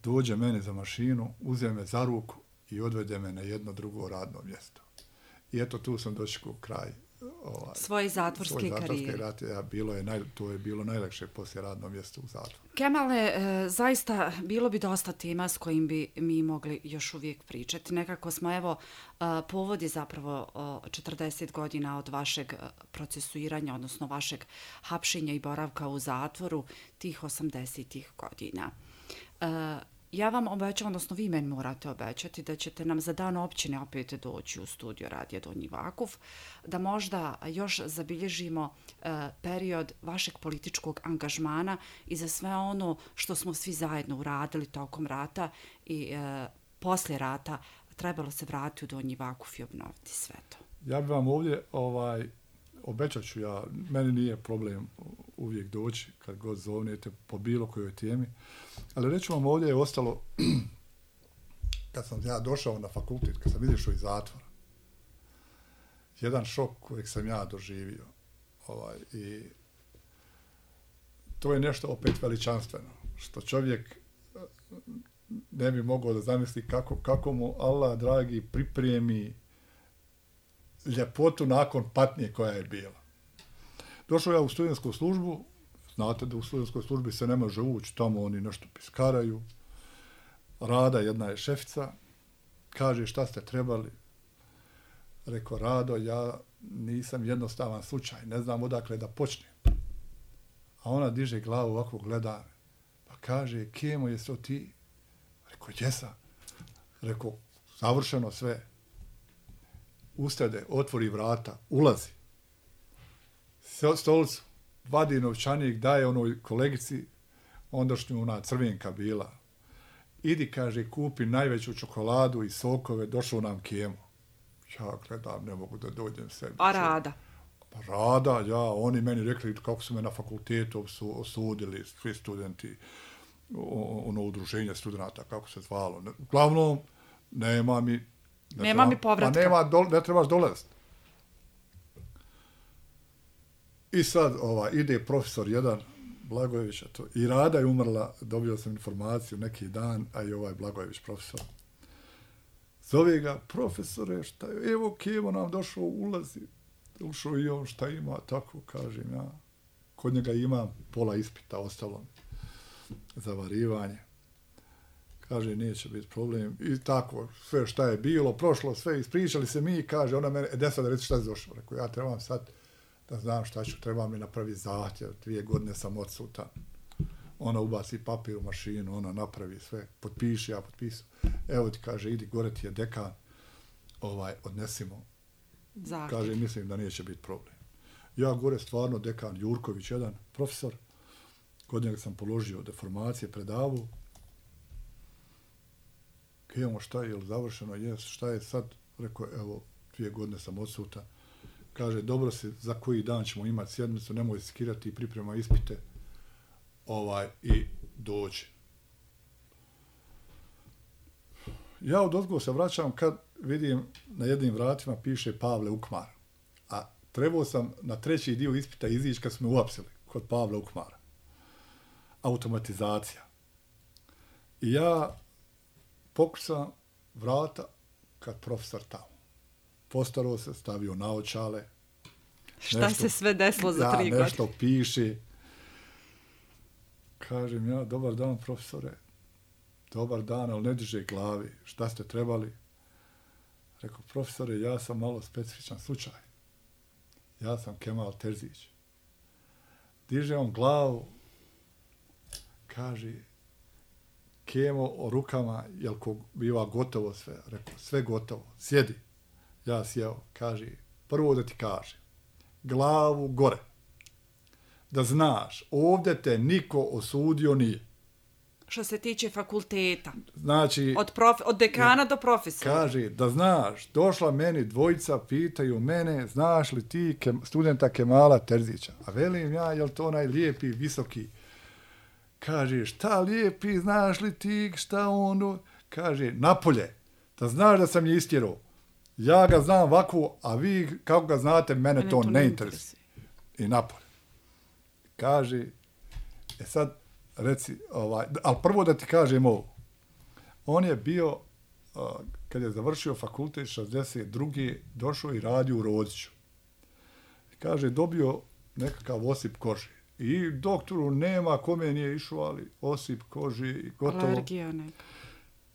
Speaker 3: dođe mene za mašinu, uzme me za ruku i odvede me na jedno drugo radno mjesto. I eto tu sam došao u kraj ovaj,
Speaker 2: svoje zatvorske,
Speaker 3: svoje zatvorske
Speaker 2: karijere.
Speaker 3: Rate, ja, bilo je naj, to je bilo najlakše poslije radno mjesto u zatvoru.
Speaker 2: Kemale, e, zaista bilo bi dosta tema s kojim bi mi mogli još uvijek pričati. Nekako smo, evo, e, povod je zapravo e, četrdeset godina od vašeg procesuiranja, odnosno vašeg hapšenja i boravka u zatvoru tih osamdesetih godina. E, Ja vam obećam, odnosno vi meni morate obećati da ćete nam za dan općine opet doći u studio Radija Donji Vakuf, da možda još zabilježimo e, period vašeg političkog angažmana i za sve ono što smo svi zajedno uradili tokom rata i e, poslije rata trebalo se vratiti u Donji Vakuf i obnoviti sve to.
Speaker 3: Ja bih vam ovdje ovaj, obećat ću ja, meni nije problem uvijek doći kad god zovnete po bilo kojoj temi, ali reću vam ovdje je ostalo, kad sam ja došao na fakultet, kad sam izišao iz zatvora, jedan šok kojeg sam ja doživio. Ovaj, i to je nešto opet veličanstveno, što čovjek ne bi mogao da zamisli kako, kako mu Allah, dragi, pripremi ljepotu nakon patnje koja je bila. Došao ja u studentsku službu, znate da u studentskoj službi se ne može ući, tamo oni nešto piskaraju. Rada, jedna je šefica, kaže šta ste trebali. Rekao, Rado, ja nisam jednostavan slučaj, ne znam odakle da počnem. A ona diže glavu, ovako gleda, pa kaže, Kemo, jesi to ti? Rekao, jesam. Rekao, završeno sve. Ustade, otvori vrata, ulazi. Stolicu, vadi novčanik, daje onoj kolegici, ondašnju ona crvenka bila. Idi, kaže, kupi najveću čokoladu i sokove, došao nam Kemo. Ja gledam, ne mogu da dođem sebi.
Speaker 2: A Rada?
Speaker 3: Pa Rada, ja, oni meni rekli kako su me na fakultetu osudili, svi studenti, ono udruženje studenta, kako se zvalo. Uglavnom, nema mi...
Speaker 2: Ne nema mi povratka.
Speaker 3: Pa nema, do, ne trebaš dolaziti. I sad ovaj, ide profesor jedan, Blagojević, to, i Rada je umrla, dobio sam informaciju neki dan, a i ovaj Blagojević profesor. Zove ga, profesore, šta je, evo Kemo nam došao, ulazi, ušao i on, šta ima, tako kažem ja. Kod njega imam pola ispita, ostalo za varivanje. Kaže, neće biti problem. I tako, sve šta je bilo, prošlo, sve, ispričali se mi, kaže, ona mene, e, sad reći šta je došao. Rekao, ja trebam sad da znam šta ću, trebam mi napraviti zahtjev, dvije godine sam odsutan. Ona ubaci papir u mašinu, ona napravi sve, potpiši, ja potpisu. Evo ti kaže, idi gore ti je dekan, ovaj, odnesimo.
Speaker 2: Zahtjev.
Speaker 3: Kaže, mislim da neće biti problem. Ja gore stvarno dekan Jurković, jedan profesor, kod njega sam položio deformacije, predavu. Kemo, šta je, je li završeno? Jes, šta je sad? Rekao, evo, dvije godine sam odsutan. Kaže, dobro se, za koji dan ćemo imati sjednicu, nemoj skirati i priprema ispite. Ovaj, i dođe. Ja od ozgo se vraćam kad vidim na jednim vratima piše Pavle Ukmar. A trebao sam na treći dio ispita izići kad smo me uapsili kod Pavla Ukmara. Automatizacija. I ja pokušam vrata kad profesor tamo. Postarao se, stavio naočale.
Speaker 2: Šta
Speaker 3: nešto,
Speaker 2: se sve desilo za tri
Speaker 3: ja,
Speaker 2: godine?
Speaker 3: nešto piše. Kažem ja, dobar dan profesore. Dobar dan, ali ne diže glavi. Šta ste trebali? Rekao, profesore, ja sam malo specifičan slučaj. Ja sam Kemal Terzić. Diže on glavu, kaže, Kemo o rukama, jel ko biva gotovo sve? Rekao, sve gotovo, sjedi. Ja sjeo, kaže, prvo da ti kaže, glavu gore. Da znaš, ovdje te niko osudio nije.
Speaker 2: Što se tiče fakulteta.
Speaker 3: Znači,
Speaker 2: od, prof, od dekana do profesora.
Speaker 3: Kaže, da znaš, došla meni dvojica, pitaju mene, znaš li ti kem, studenta Kemala Terzića? A velim ja, jel to onaj lijepi, visoki? Kaže, šta lijepi, znaš li ti, šta ono? Kaže, napolje, da znaš da sam je istjerao. Ja ga znam ovako, a vi, kako ga znate, mene, mene to, to ne interesuje. I napolje. Kaže, e sad, reci, ovaj, ali prvo da ti kažem ovo. On je bio, uh, kad je završio fakultet šezdeset druge došao i radio u Rodiću. Kaže, dobio nekakav osip kože. I doktoru nema kome nije išao, ali osip kože i gotovo.
Speaker 2: Alergija neka.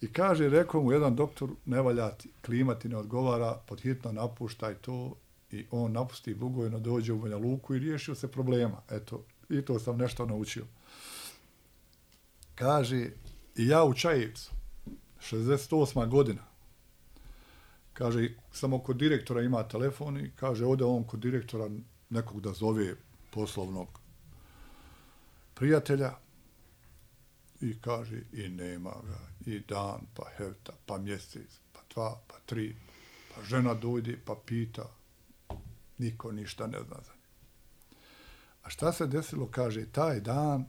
Speaker 3: I kaže, rekao mu jedan doktor, ne valja ti, klima ti ne odgovara, podhitno napuštaj to. I on napusti Bugojno, dođe u Banja Luku i riješio se problema. Eto, i to sam nešto naučio. Kaže, i ja u Čajevcu, šezdeset osma godina, kaže, samo kod direktora ima telefon i kaže, ode on kod direktora nekog da zove poslovnog prijatelja i kaže, i nema ga, i dan, pa hevta, pa mjesec, pa dva, pa tri, pa žena dojde, pa pita, niko ništa ne zna za nje. A šta se desilo, kaže, taj dan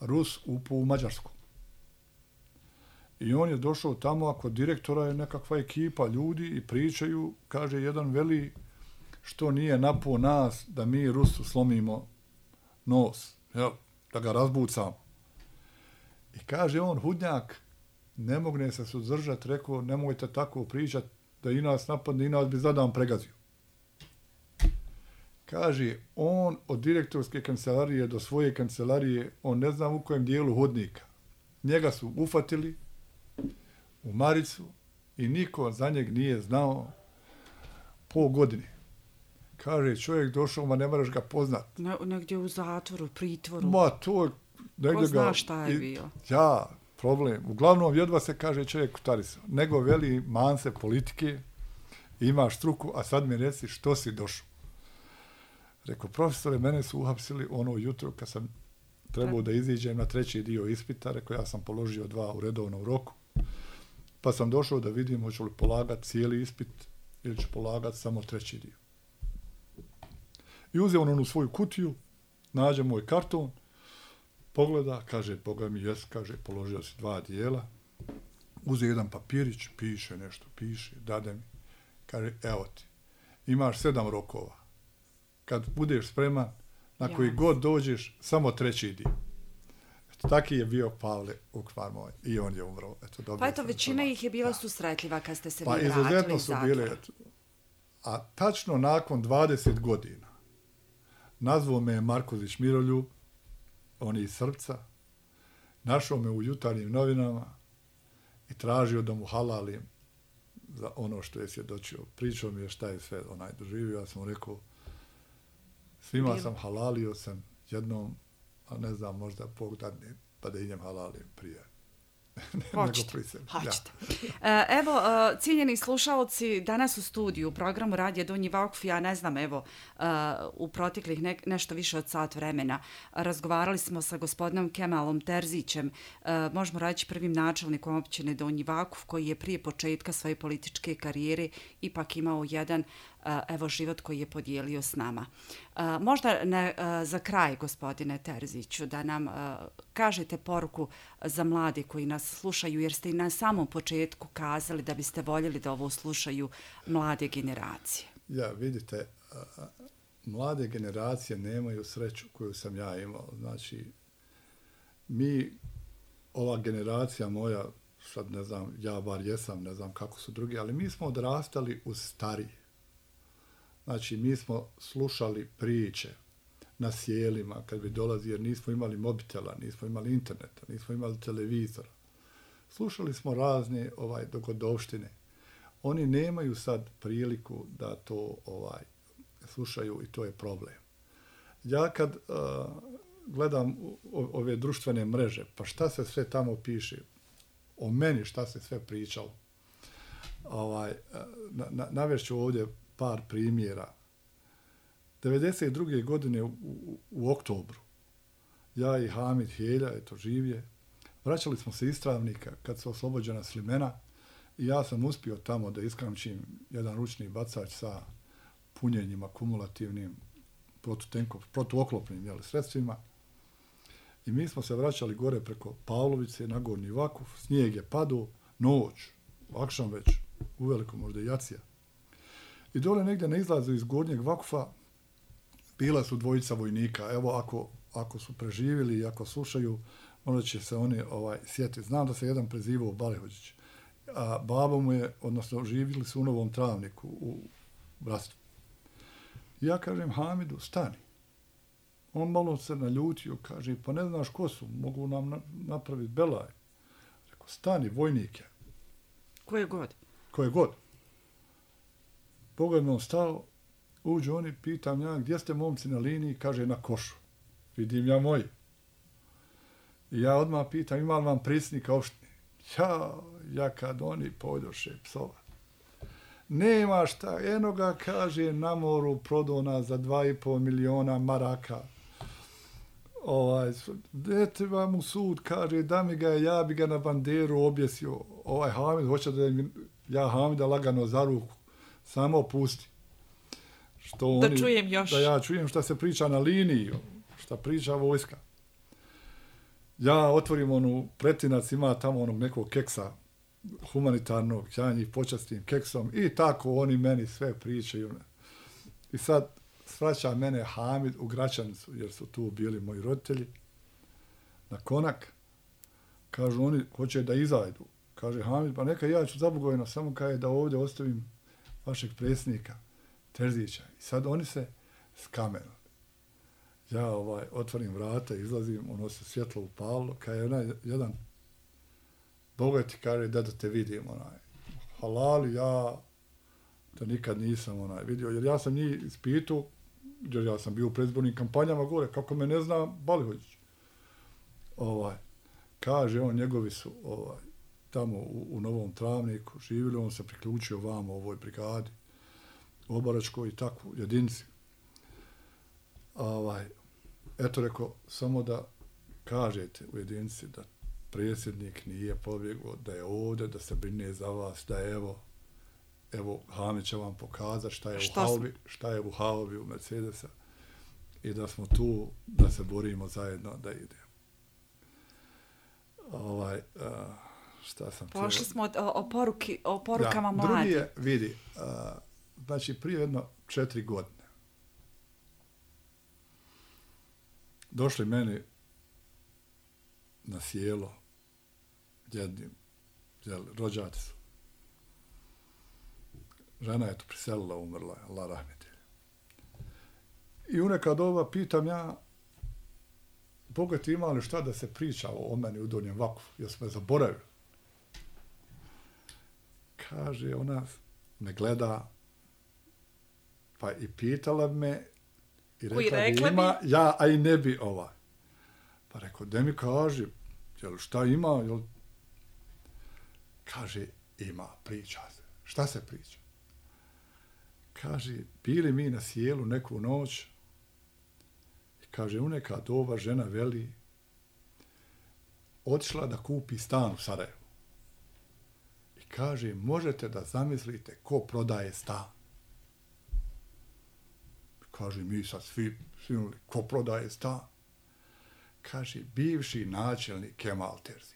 Speaker 3: Rus upao u Mađarsku. I on je došao tamo, a kod direktora je nekakva ekipa ljudi i pričaju, kaže, jedan veli, što nije napao nas da mi Rusu slomimo nos, jel, da ga razbucamo. I kaže on, hudnjak, ne mogne se suzdržati, rekao, nemojte tako pričati, da i nas napadne, i nas bi zadan pregazio. Kaže, on od direktorske kancelarije do svoje kancelarije, on ne znam u kojem dijelu hodnika. Njega su ufatili u maricu i niko za njeg nije znao. pol godine. Kaže, čovjek došao, ma ne moraš ga poznat.
Speaker 2: Ne, negdje u zatvoru, pritvoru.
Speaker 3: Ma, to je...
Speaker 2: Ko zna šta je bio?
Speaker 3: Ja, problem. Uglavnom, jedva se kaže čovjek utarisao. Nego veli manse politike, imaš struku, a sad mi reci što si došao. Rekao, profesore, mene su uhapsili ono jutro kad sam trebao da iziđem na treći dio ispita. Rekao, ja sam položio dva u redovnom roku. Pa sam došao da vidim hoću li polagati cijeli ispit ili ću polagati samo treći dio. I uzeo on onu svoju kutiju, nađe moj karton, pogleda, kaže, Boga mi jes, kaže, položio si dva dijela. Uze jedan papirić, piše nešto, piše, dade mi. Kaže, evo ti, imaš sedam rokova. Kad budeš spreman, na koji ja. god dođeš, samo treći dio. Eto, taki je bio Pavle Ukvar moj. I on je umro. Eto,
Speaker 2: pa eto, većina ih je bila susretljiva kad ste se
Speaker 3: pa,
Speaker 2: vi vratili
Speaker 3: iz zatvora. Bile, a tačno nakon dvadeset godina nazvao me Marković Miroljub, on je iz Srpca, našao me u Jutarnjim novinama i tražio da mu halalim za ono što je svjedočio. Pričao mi je šta je sve onaj doživio. Ja sam mu rekao, svima Bil. sam halalio sam jednom, a ne znam, možda Bog dadne, pa da idem halalim prije.
Speaker 2: Hoćete, hoćete. Ja. Evo, cijenjeni slušalci, danas u studiju, u programu Radija Donji Vakuf, ja ne znam, evo, u proteklih ne, nešto više od sat vremena, razgovarali smo sa gospodinom Kemalom Terzićem, možemo reći prvim načelnikom općine Donji Vakuf, koji je prije početka svoje političke karijere ipak imao jedan evo život koji je podijelio s nama. Možda ne, za kraj, gospodine Terziću, da nam kažete poruku za mlade koji nas slušaju, jer ste i na samom početku kazali da biste voljeli da ovo slušaju mlade generacije.
Speaker 3: Ja, vidite, mlade generacije nemaju sreću koju sam ja imao. Znači, mi, ova generacija moja, sad ne znam, ja bar jesam, ne znam kako su drugi, ali mi smo odrastali uz starije. Znači, mi smo slušali priče na sjelima kad bi dolazi, jer nismo imali mobitela, nismo imali interneta, nismo imali televizora. Slušali smo razne ovaj, dogodovštine. Oni nemaju sad priliku da to ovaj, slušaju i to je problem. Ja kad uh, gledam ove društvene mreže, pa šta se sve tamo piše, o meni šta se sve pričalo, ovaj, na, na, navešću ovdje par primjera. devedeset druge godine u, u, u oktobru, ja i Hamid Helja, eto živje, vraćali smo se iz Travnika kad su oslobođena Slimena i ja sam uspio tamo da iskamčim jedan ručni bacač sa punjenjima kumulativnim protutenkov, protuoklopnim jeli, sredstvima. I mi smo se vraćali gore preko Pavlovice na Gornji Vakuf, snijeg je padao, noć, akšam već, uveliko možda i jacija. I dole negdje na izlazu iz Gornjeg Vakufa bila su dvojica vojnika. Evo, ako, ako su preživjeli i ako slušaju, možda će se oni ovaj, sjetiti. Znam da se jedan prezivao Balehođić. A babo mu je, odnosno živjeli su u Novom Travniku, u Brastvu. Ja kažem Hamidu, stani. On malo se naljutio, kaže, pa ne znaš ko su, mogu nam na, napraviti belaj. Rekao, stani, vojnike.
Speaker 2: Koje god?
Speaker 3: Koje god. Pogledno stao, uđu oni, pitam ja, gdje ste momci na liniji? Kaže, na košu. Vidim ja moji. I ja odmah pitam, ima li vam predsjednika opštine? Ja, ja kad oni pojdoše psova. Nema šta, eno ga, kaže, na moru prodona za dva i pol miliona maraka. Ovaj, dete vam u sud, kaže, da mi ga, ja bi ga na banderu objesio. Ovaj Hamid, hoće da ja Hamida lagano za ruku. Samo pusti. Što
Speaker 2: da
Speaker 3: oni,
Speaker 2: čujem još.
Speaker 3: Da ja čujem šta se priča na liniji, šta priča vojska. Ja otvorim onu, Pretinac ima tamo onog nekog keksa humanitarnog, ja njih počastim keksom i tako oni meni sve pričaju. I sad svraća mene Hamid u Gračanicu, jer su tu bili moji roditelji, na konak. Kažu oni, hoće da izajdu. Kaže Hamid, pa neka ja ću zabugojeno, samo kaže da ovdje ostavim vašeg predsjednika Terzića. I sad oni se skamenu. Ja ovaj, otvorim vrata, izlazim, ono se svjetlo upalo, kad je onaj jedan bogati kaže da da te vidim, onaj, halali, ja to nikad nisam onaj vidio, jer ja sam njih ispitao, jer ja sam bio u predizbornim kampanjama gore, kako me ne zna Balihođić. Ovaj, kaže on, njegovi su ovaj, tamo u, u Novom Travniku živjeli, on se priključio vamo u ovoj brigadi, u Obaračkoj i takvu jedinici. Ovaj, eto rekao, samo da kažete u jedinici da predsjednik nije pobjegao, da je ovdje, da se brine za vas, da je evo, evo Hamid će vam pokazati šta je šta u Haubi, šta je u Haubi u Mercedesa i da smo tu, da se borimo zajedno, da idemo. Ovaj, uh, šta sam...
Speaker 2: Pošli smo o, o, poruki, o porukama
Speaker 3: da,
Speaker 2: mladi.
Speaker 3: Drugi je, vidi, uh, znači prije jedno četiri godine došli meni na sjelo jednim, jel, rođaci su. Žena je to priselila, umrla, Allah rahmeti. I u neka doba pitam ja, Boga ti ima li šta da se priča o meni u Donjem Vakufu, jer smo je zaboravili. Kaže, ona me gleda, pa i pitala me, i rekla bi ima, bi? Ja, a i ne bi ovaj. Pa rekao, da mi kaže, jel šta ima, jel? Kaže, ima, priča se. Šta se priča? Kaže, bili mi na sjelu neku noć i kaže, u neka doba žena veli otišla da kupi stan u Sarajevu. I kaže, možete da zamislite ko prodaje stan. Kaže, mi sad svi, svi ko prodaje stan. Kaže, bivši načelnik Kemal Terzić.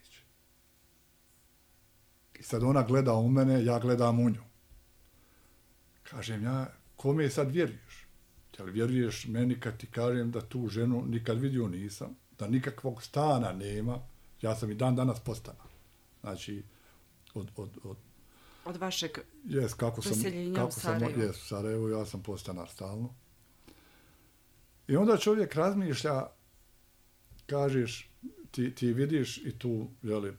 Speaker 3: I sad ona gleda u mene, ja gledam u nju. Kažem ja, kome sad vjeruješ? Jel vjeruješ meni kad ti kažem da tu ženu nikad vidio nisam, da nikakvog stana nema, ja sam i dan danas postanar. Znači, od... Od, od,
Speaker 2: od vašeg
Speaker 3: jes, kako
Speaker 2: preseljenja
Speaker 3: sam, kako
Speaker 2: u Sarajevu.
Speaker 3: Sam, jes, u Sarajevu, ja sam postanar stalno. I onda čovjek razmišlja, kažeš, ti, ti vidiš i tu, jeli,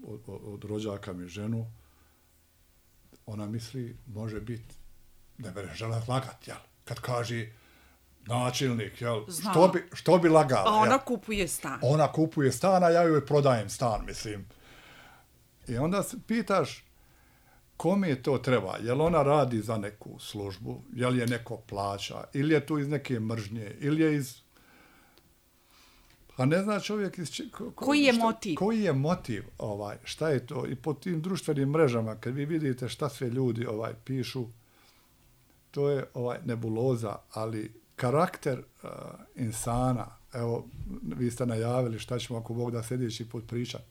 Speaker 3: od, od, od rođaka mi ženu, ona misli, može biti, ne bere žela lagat, jel? Kad kaže načelnik, jel? Što bi, što bi lagala?
Speaker 2: A ona
Speaker 3: jel?
Speaker 2: kupuje stan.
Speaker 3: Ona kupuje stan, a ja joj prodajem stan, mislim. I onda se pitaš, kome je to treba? Jel ona radi za neku službu? Jel je neko plaća? Ili je tu iz neke mržnje? Ili je iz... Pa ne zna čovjek iz... Ko,
Speaker 2: koji je
Speaker 3: šta,
Speaker 2: motiv?
Speaker 3: Koji je motiv? Ovaj, šta je to? I po tim društvenim mrežama, kad vi vidite šta sve ljudi ovaj pišu, to je ovaj nebuloza, ali karakter uh, insana, evo, vi ste najavili šta ćemo ako Bog da sljedeći put pričati.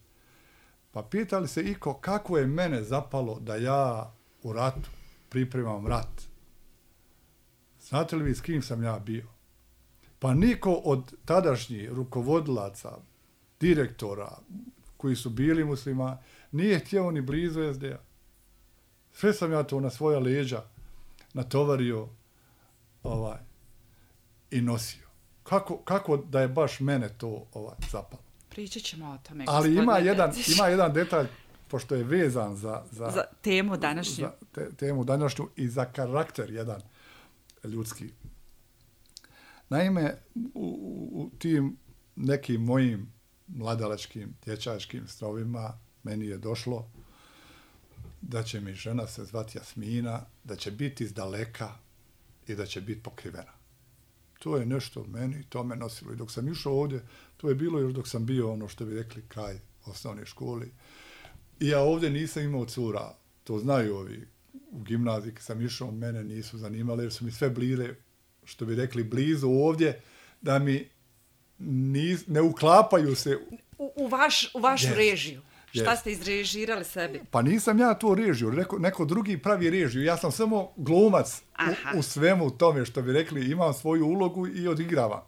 Speaker 3: Pa pitali se iko kako je mene zapalo da ja u ratu pripremam rat. Znate li vi s kim sam ja bio? Pa niko od tadašnjih rukovodilaca, direktora koji su bili muslima, nije htio ni blizu es de a. Sve sam ja to na svoja leđa natovario ovaj, i nosio. Kako, kako da je baš mene to ovaj, zapalo?
Speaker 2: Pričat ćemo o tome.
Speaker 3: Ali ima jedan, ima jedan detalj, pošto je vezan za, za,
Speaker 2: za temu današnju.
Speaker 3: Za te, temu današnju i za karakter jedan ljudski. Naime, u, u tim nekim mojim mladalačkim, dječačkim strovima meni je došlo da će mi žena se zvati Jasmina, da će biti iz daleka i da će biti pokrivena. To je nešto meni, to me nosilo. I dok sam išao ovdje, to je bilo još dok sam bio ono što bi rekli kraj osnovne škole. I ja ovdje nisam imao cura, to znaju ovi u gimnaziji, kad sam išao, mene nisu zanimale, jer su mi sve blire, što bi rekli, blizu ovdje, da mi nis, ne uklapaju se...
Speaker 2: U, u, vaš, u vašu yes. režiju.
Speaker 3: Yes.
Speaker 2: Šta ste izrežirali sebi?
Speaker 3: Pa nisam ja to režiju, neko, neko drugi pravi režiju. Ja sam samo glumac u, u svemu tome, što bi rekli, imam svoju ulogu i odigravam.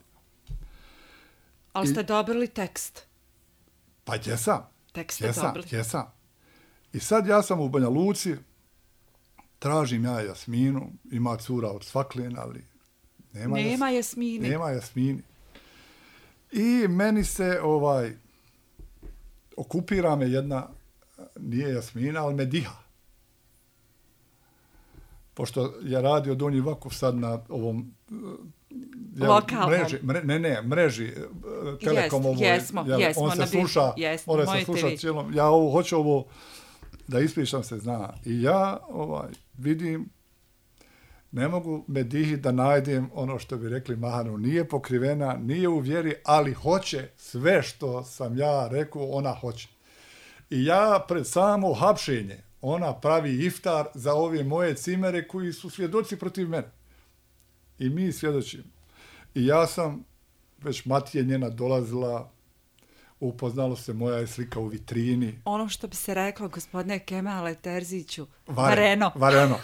Speaker 2: Ali ste I, dobili tekst?
Speaker 3: Pa jesam.
Speaker 2: Tekst ste
Speaker 3: jesam,
Speaker 2: dobili?
Speaker 3: Jesam. I sad ja sam u Banja Luci, tražim ja Jasminu, ima cura od Svaklin, ali nema,
Speaker 2: nema
Speaker 3: jas,
Speaker 2: Jasmini.
Speaker 3: Nema Jasmini. I meni se ovaj... okupira me jedna, nije Jasmina, ali Mediha. pošto je radio Donji Vakuf sad na ovom
Speaker 2: lokalnom
Speaker 3: mreži, mre, ne, ne, mreži Telekom
Speaker 2: Jest,
Speaker 3: ovoj,
Speaker 2: jesmo,
Speaker 3: jel,
Speaker 2: jesmo,
Speaker 3: on se
Speaker 2: na bi-
Speaker 3: sluša,
Speaker 2: jesmo,
Speaker 3: on se
Speaker 2: moj
Speaker 3: sluša
Speaker 2: te vi.
Speaker 3: cijelom, ja ovo, hoću ovo da ispričam se zna. I ja ovaj, vidim, ne mogu Medihi da najdem ono što bi rekli Mahanu, nije pokrivena, nije u vjeri, ali hoće sve što sam ja rekao, ona hoće. I ja pred samo hapšenje, ona pravi iftar za ove moje cimere koji su svjedoci protiv mene. I mi svjedočimo. I ja sam, već Matije njena dolazila, upoznalo se, moja je slika u vitrini.
Speaker 2: Ono što bi se reklo, gospodine Kemale Terziću,
Speaker 3: Varen,
Speaker 2: vareno.
Speaker 3: Vareno.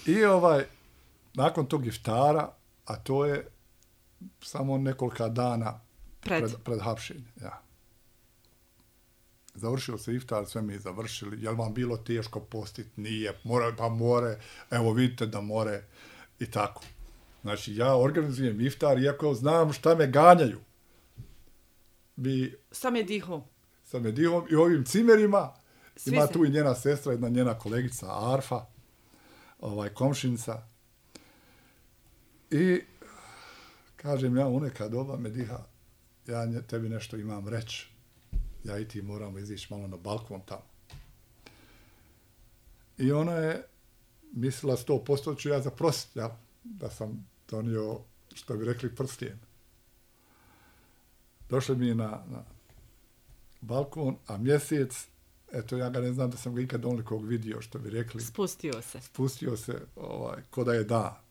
Speaker 3: I ovaj, nakon tog iftara, a to je samo nekolika dana
Speaker 2: Pred.
Speaker 3: pred, pred hapšenje. Ja. Završio se iftar, sve mi završili. Jel vam bilo teško postiti? Nije. More, pa more. Evo vidite da more. I tako. Znači, ja organizujem iftar, iako znam šta me ganjaju. Bi
Speaker 2: Sam je dihu.
Speaker 3: sa Medihom i ovim cimerima.
Speaker 2: Svi
Speaker 3: Ima
Speaker 2: se-
Speaker 3: tu i njena sestra, jedna njena kolegica Arfa, ovaj, komšinica. I kažem ja, u neka doba Mediha, ja nje, tebi nešto imam reći. Ja i ti moramo izići malo na balkon tamo. I ona je mislila sto posto ću ja zaprositi, ja, da sam donio, što bi rekli, prstijen. Došli mi na, na balkon, a mjesec, eto ja ga ne znam da sam ga ikad onolikog vidio, što bi rekli,
Speaker 2: Spustio se.
Speaker 3: spustio se ovaj, ko da je da.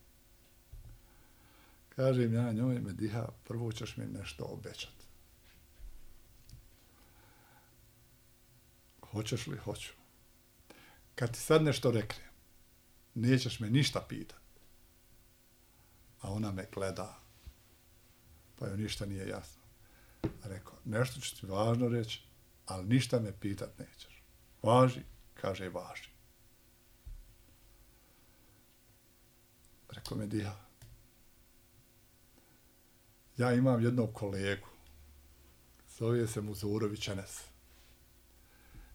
Speaker 3: Kažem ja njoj, Mediha, prvo ćeš mi nešto obećati. Hoćeš li? Hoću. Kad ti sad nešto rekne, nećeš me ništa pitati. A ona me gleda, pa joj ništa nije jasno. Rekao, nešto ću ti važno reći, ali ništa me pitat nećeš. Važi? Kaže, važi. Rekao Mediha, ja imam jednog kolegu, zove se Muzurović Enes.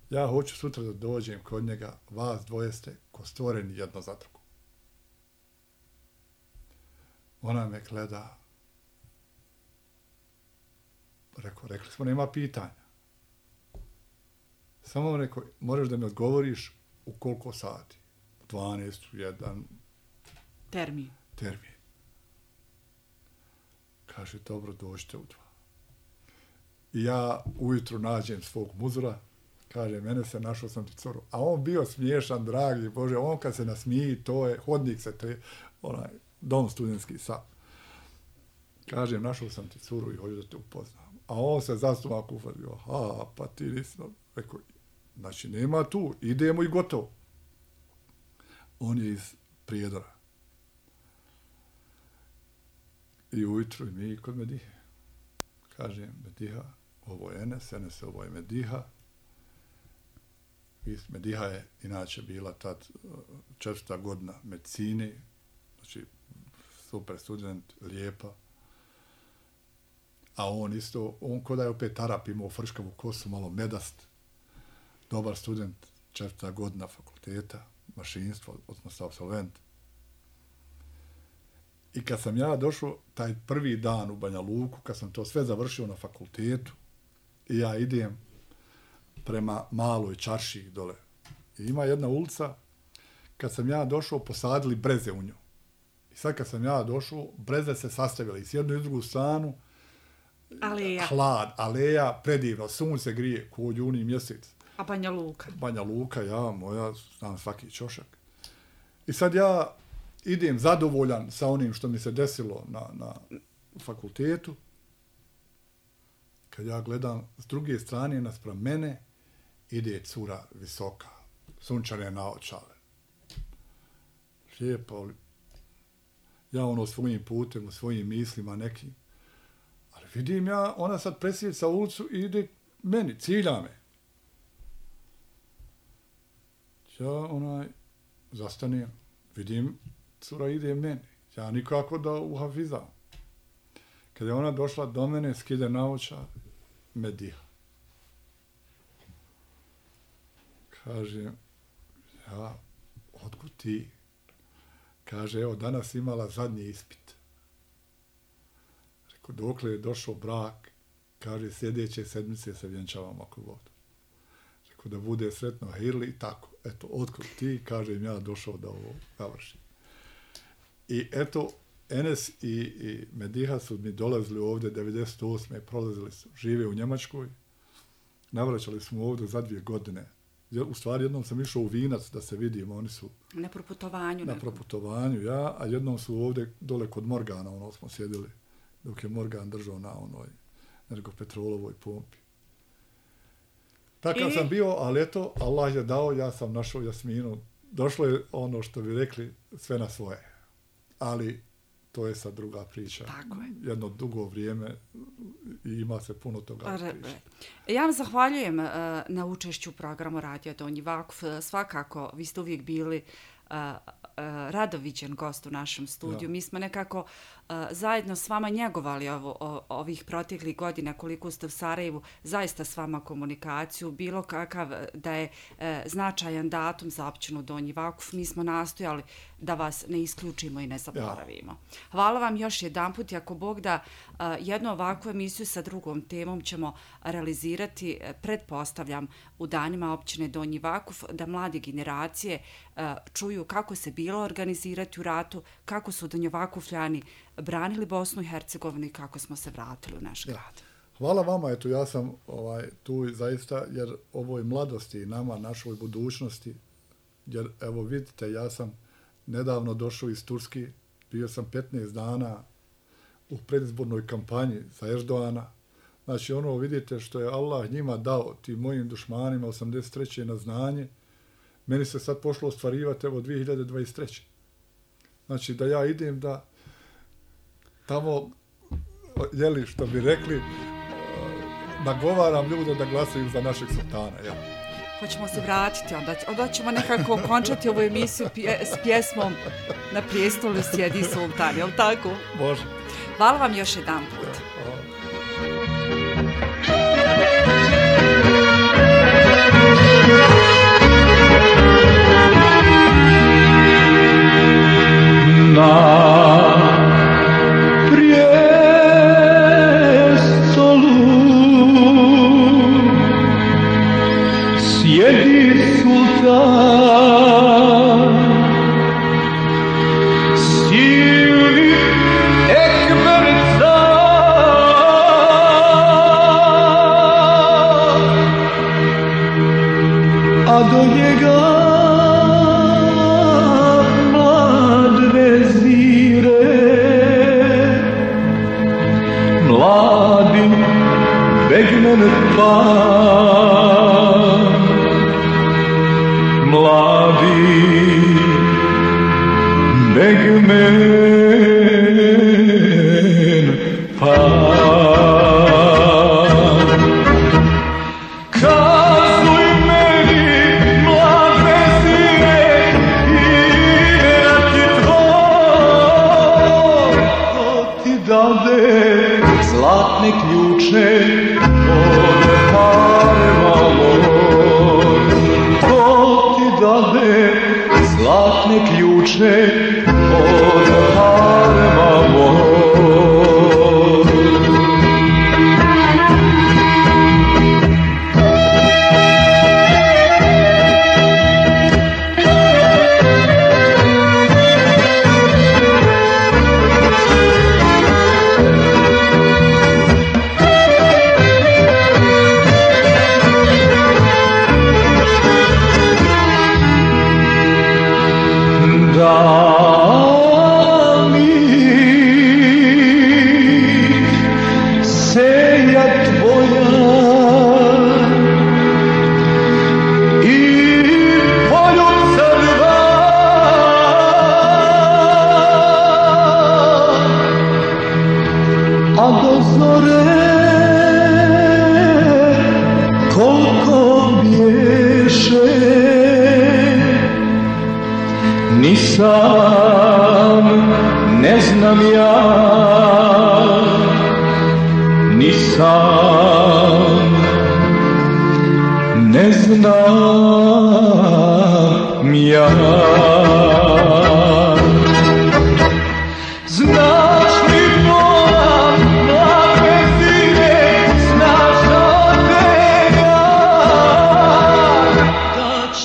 Speaker 3: Ja hoću sutra da dođem kod njega, vas dvoje ste ko stvoreni jedno za drugo. Ona me gleda. Rekao, rekli smo, nema pitanja. Samo rekao, moraš da mi odgovoriš u koliko sati. U dvanaest, u jedan
Speaker 2: Termin.
Speaker 3: termin. Kaže, dobro, dođite u dva. I ja ujutru nađem svog muzura, kaže, mene se našao sam ti curu. A on bio smiješan, dragi Bože, on kad se nasmiji, to je hodnik se, to je onaj dom studentski sad. Kaže, našao sam ti curu i hoću da te upoznam. A on se zastumak ufadio, ha, pa ti nisi, rekao, znači nema tu, idemo i gotovo. On je iz Prijedora. I ujutru i mi kod Medihe. Kaže, Mediha, ovo je Enes, Enes, ovo je Mediha. Mediha je inače bila tad četvrta godina medicine, znači super student, lijepa. A on isto, on ko da je opet Arap, imao frškavu kosu, malo medast, dobar student, četvrta godina fakulteta, mašinstvo, odnosno absolvent. I kad sam ja došao taj prvi dan u Banja Luku, kad sam to sve završio na fakultetu, i ja idem prema maloj čaršiji dole. I ima jedna ulica, kad sam ja došao, posadili breze u nju. I sad kad sam ja došao, breze se sastavile i s jednu i drugu stranu,
Speaker 2: Aleja.
Speaker 3: hlad, aleja, predivno, sunce grije, ko juni mjesec.
Speaker 2: A Banja Luka.
Speaker 3: Banja Luka, ja, moja, znam svaki čošak. I sad ja idem zadovoljan sa onim što mi se desilo na, na fakultetu, kad ja gledam s druge strane naspram mene, ide cura visoka, sunčane naočale. Lijepo, ja ono svojim putem, u svojim mislima nekim, ali vidim ja, ona sad presjeca ulicu i ide meni, cilja me. Ja onaj, zastanem, vidim, cura ide meni. Ja nikako da uhafizam. Kad je ona došla do mene, skide naočale, Mediha. Kaže, ja otkud ti? Kaže, evo, danas imala zadnji ispit. Rekao, dokle je došao brak, kaže, sljedeće sedmice se vjenčavamo ako god. Rekao, da bude sretno Hirli i tako. Eto, otkud ti, kažem ja, došao da ovo završim. I eto, Enes i, i Mediha su mi dolazili ovdje devedeset osme prolazili su, žive u Njemačkoj. Navraćali smo ovdje za dvije godine. U stvari, jednom sam išao u Vinac da se vidimo, oni su...
Speaker 2: Na proputovanju.
Speaker 3: Na proputovanju, ja, a jednom su ovdje dole kod Morgana, ono smo sjedili, dok je Morgan držao na onoj energopetrolovoj pompi. Takav I... sam bio, ali eto, Allah je dao, ja sam našao Jasminu. Došlo je ono što bi rekli, sve na svoje. Ali to je sad druga priča.
Speaker 2: Tako je.
Speaker 3: Jedno dugo vrijeme i ima se puno toga priča.
Speaker 2: Ja vam zahvaljujem uh, na učešću u programu Radio Donji Vakuf. Svakako, vi ste uvijek bili uh, uh, radoviđen gost u našem studiju. Ja. Mi smo nekako uh, zajedno s vama njegovali ovo, o, ovih proteklih godina koliko ste u Sarajevu, zaista s vama komunikaciju, bilo kakav da je uh, značajan datum za općinu Donji Vakuf. Mi smo nastojali da vas ne isključimo i ne zaboravimo. Ja. Hvala vam još jedanput i ako Bog da uh, jednu ovakvu emisiju sa drugom temom ćemo realizirati, pretpostavljam, u danima općine Donji Vakuf, da mlade generacije uh, čuju kako se bilo organizirati u ratu, kako su Donjovakufljani branili Bosnu i Hercegovinu i kako smo se vratili u naš grad. Ja.
Speaker 3: Hvala vama, eto ja sam ovaj, tu zaista, jer ovoj mladosti i nama, našoj budućnosti, jer evo vidite, ja sam nedavno došao iz Turski, bio sam petnaest dana u predizbornoj kampanji za Erdoana. Znači ono vidite što je Allah njima dao, tim mojim dušmanima osamdeset treće na znanje, meni se sad pošlo ostvarivati evo dvije hiljade dvadeset treće. Znači da ja idem da tamo, jeli što bi rekli, nagovaram ljude da glasaju za našeg sultana. Jel?
Speaker 2: Hoćemo se vratiti, onda, onda ćemo nekako okončati ovu emisiju pje, s pjesmom Na prijestolu sjedi sultan, je li tako?
Speaker 3: Može.
Speaker 2: Hvala vam još jedan put.
Speaker 4: Na prijestolu sjedi sultan, silni ekber car, a do njega mlad vezire, mladi begmen pan, mladi begmen pan. Kazuj meni, mlad vezire, ime ti tvoj, ko ti dade zlatne ključe od harema moj, ko ti dade zlatne ključe od harema moj. Nisam, ne znam ja, nisam, ne znam ja.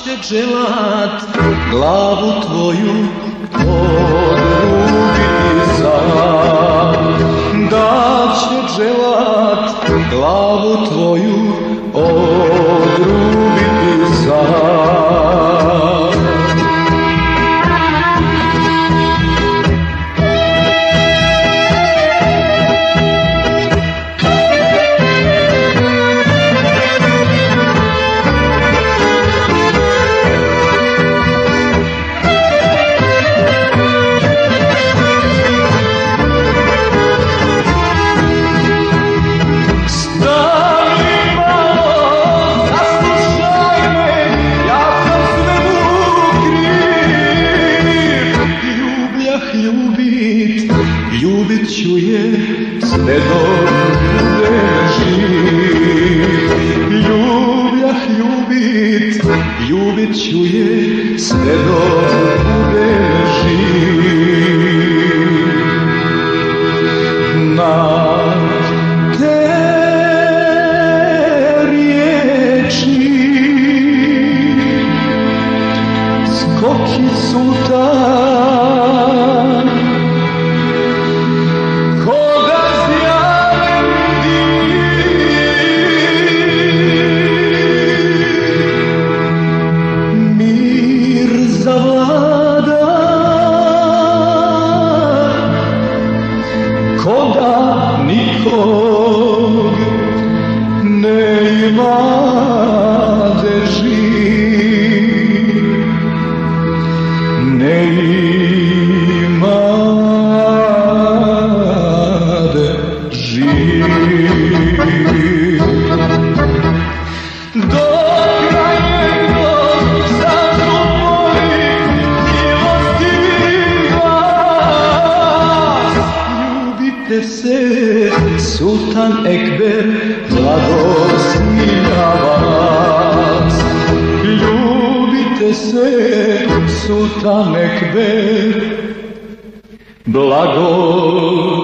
Speaker 4: će dželat glavu tvoju odrubiti sam, da će dželat glavu tvoju odrubiti sam. Ljubit ću je sve dok budem živ. Ljubljah ljubit, ljubit ću je sve dok budem živ. Na te riječi skoki sultan, Sultan Ekber blagosmilja vas. Ljubite se, Sultan Ekber blagosmilja.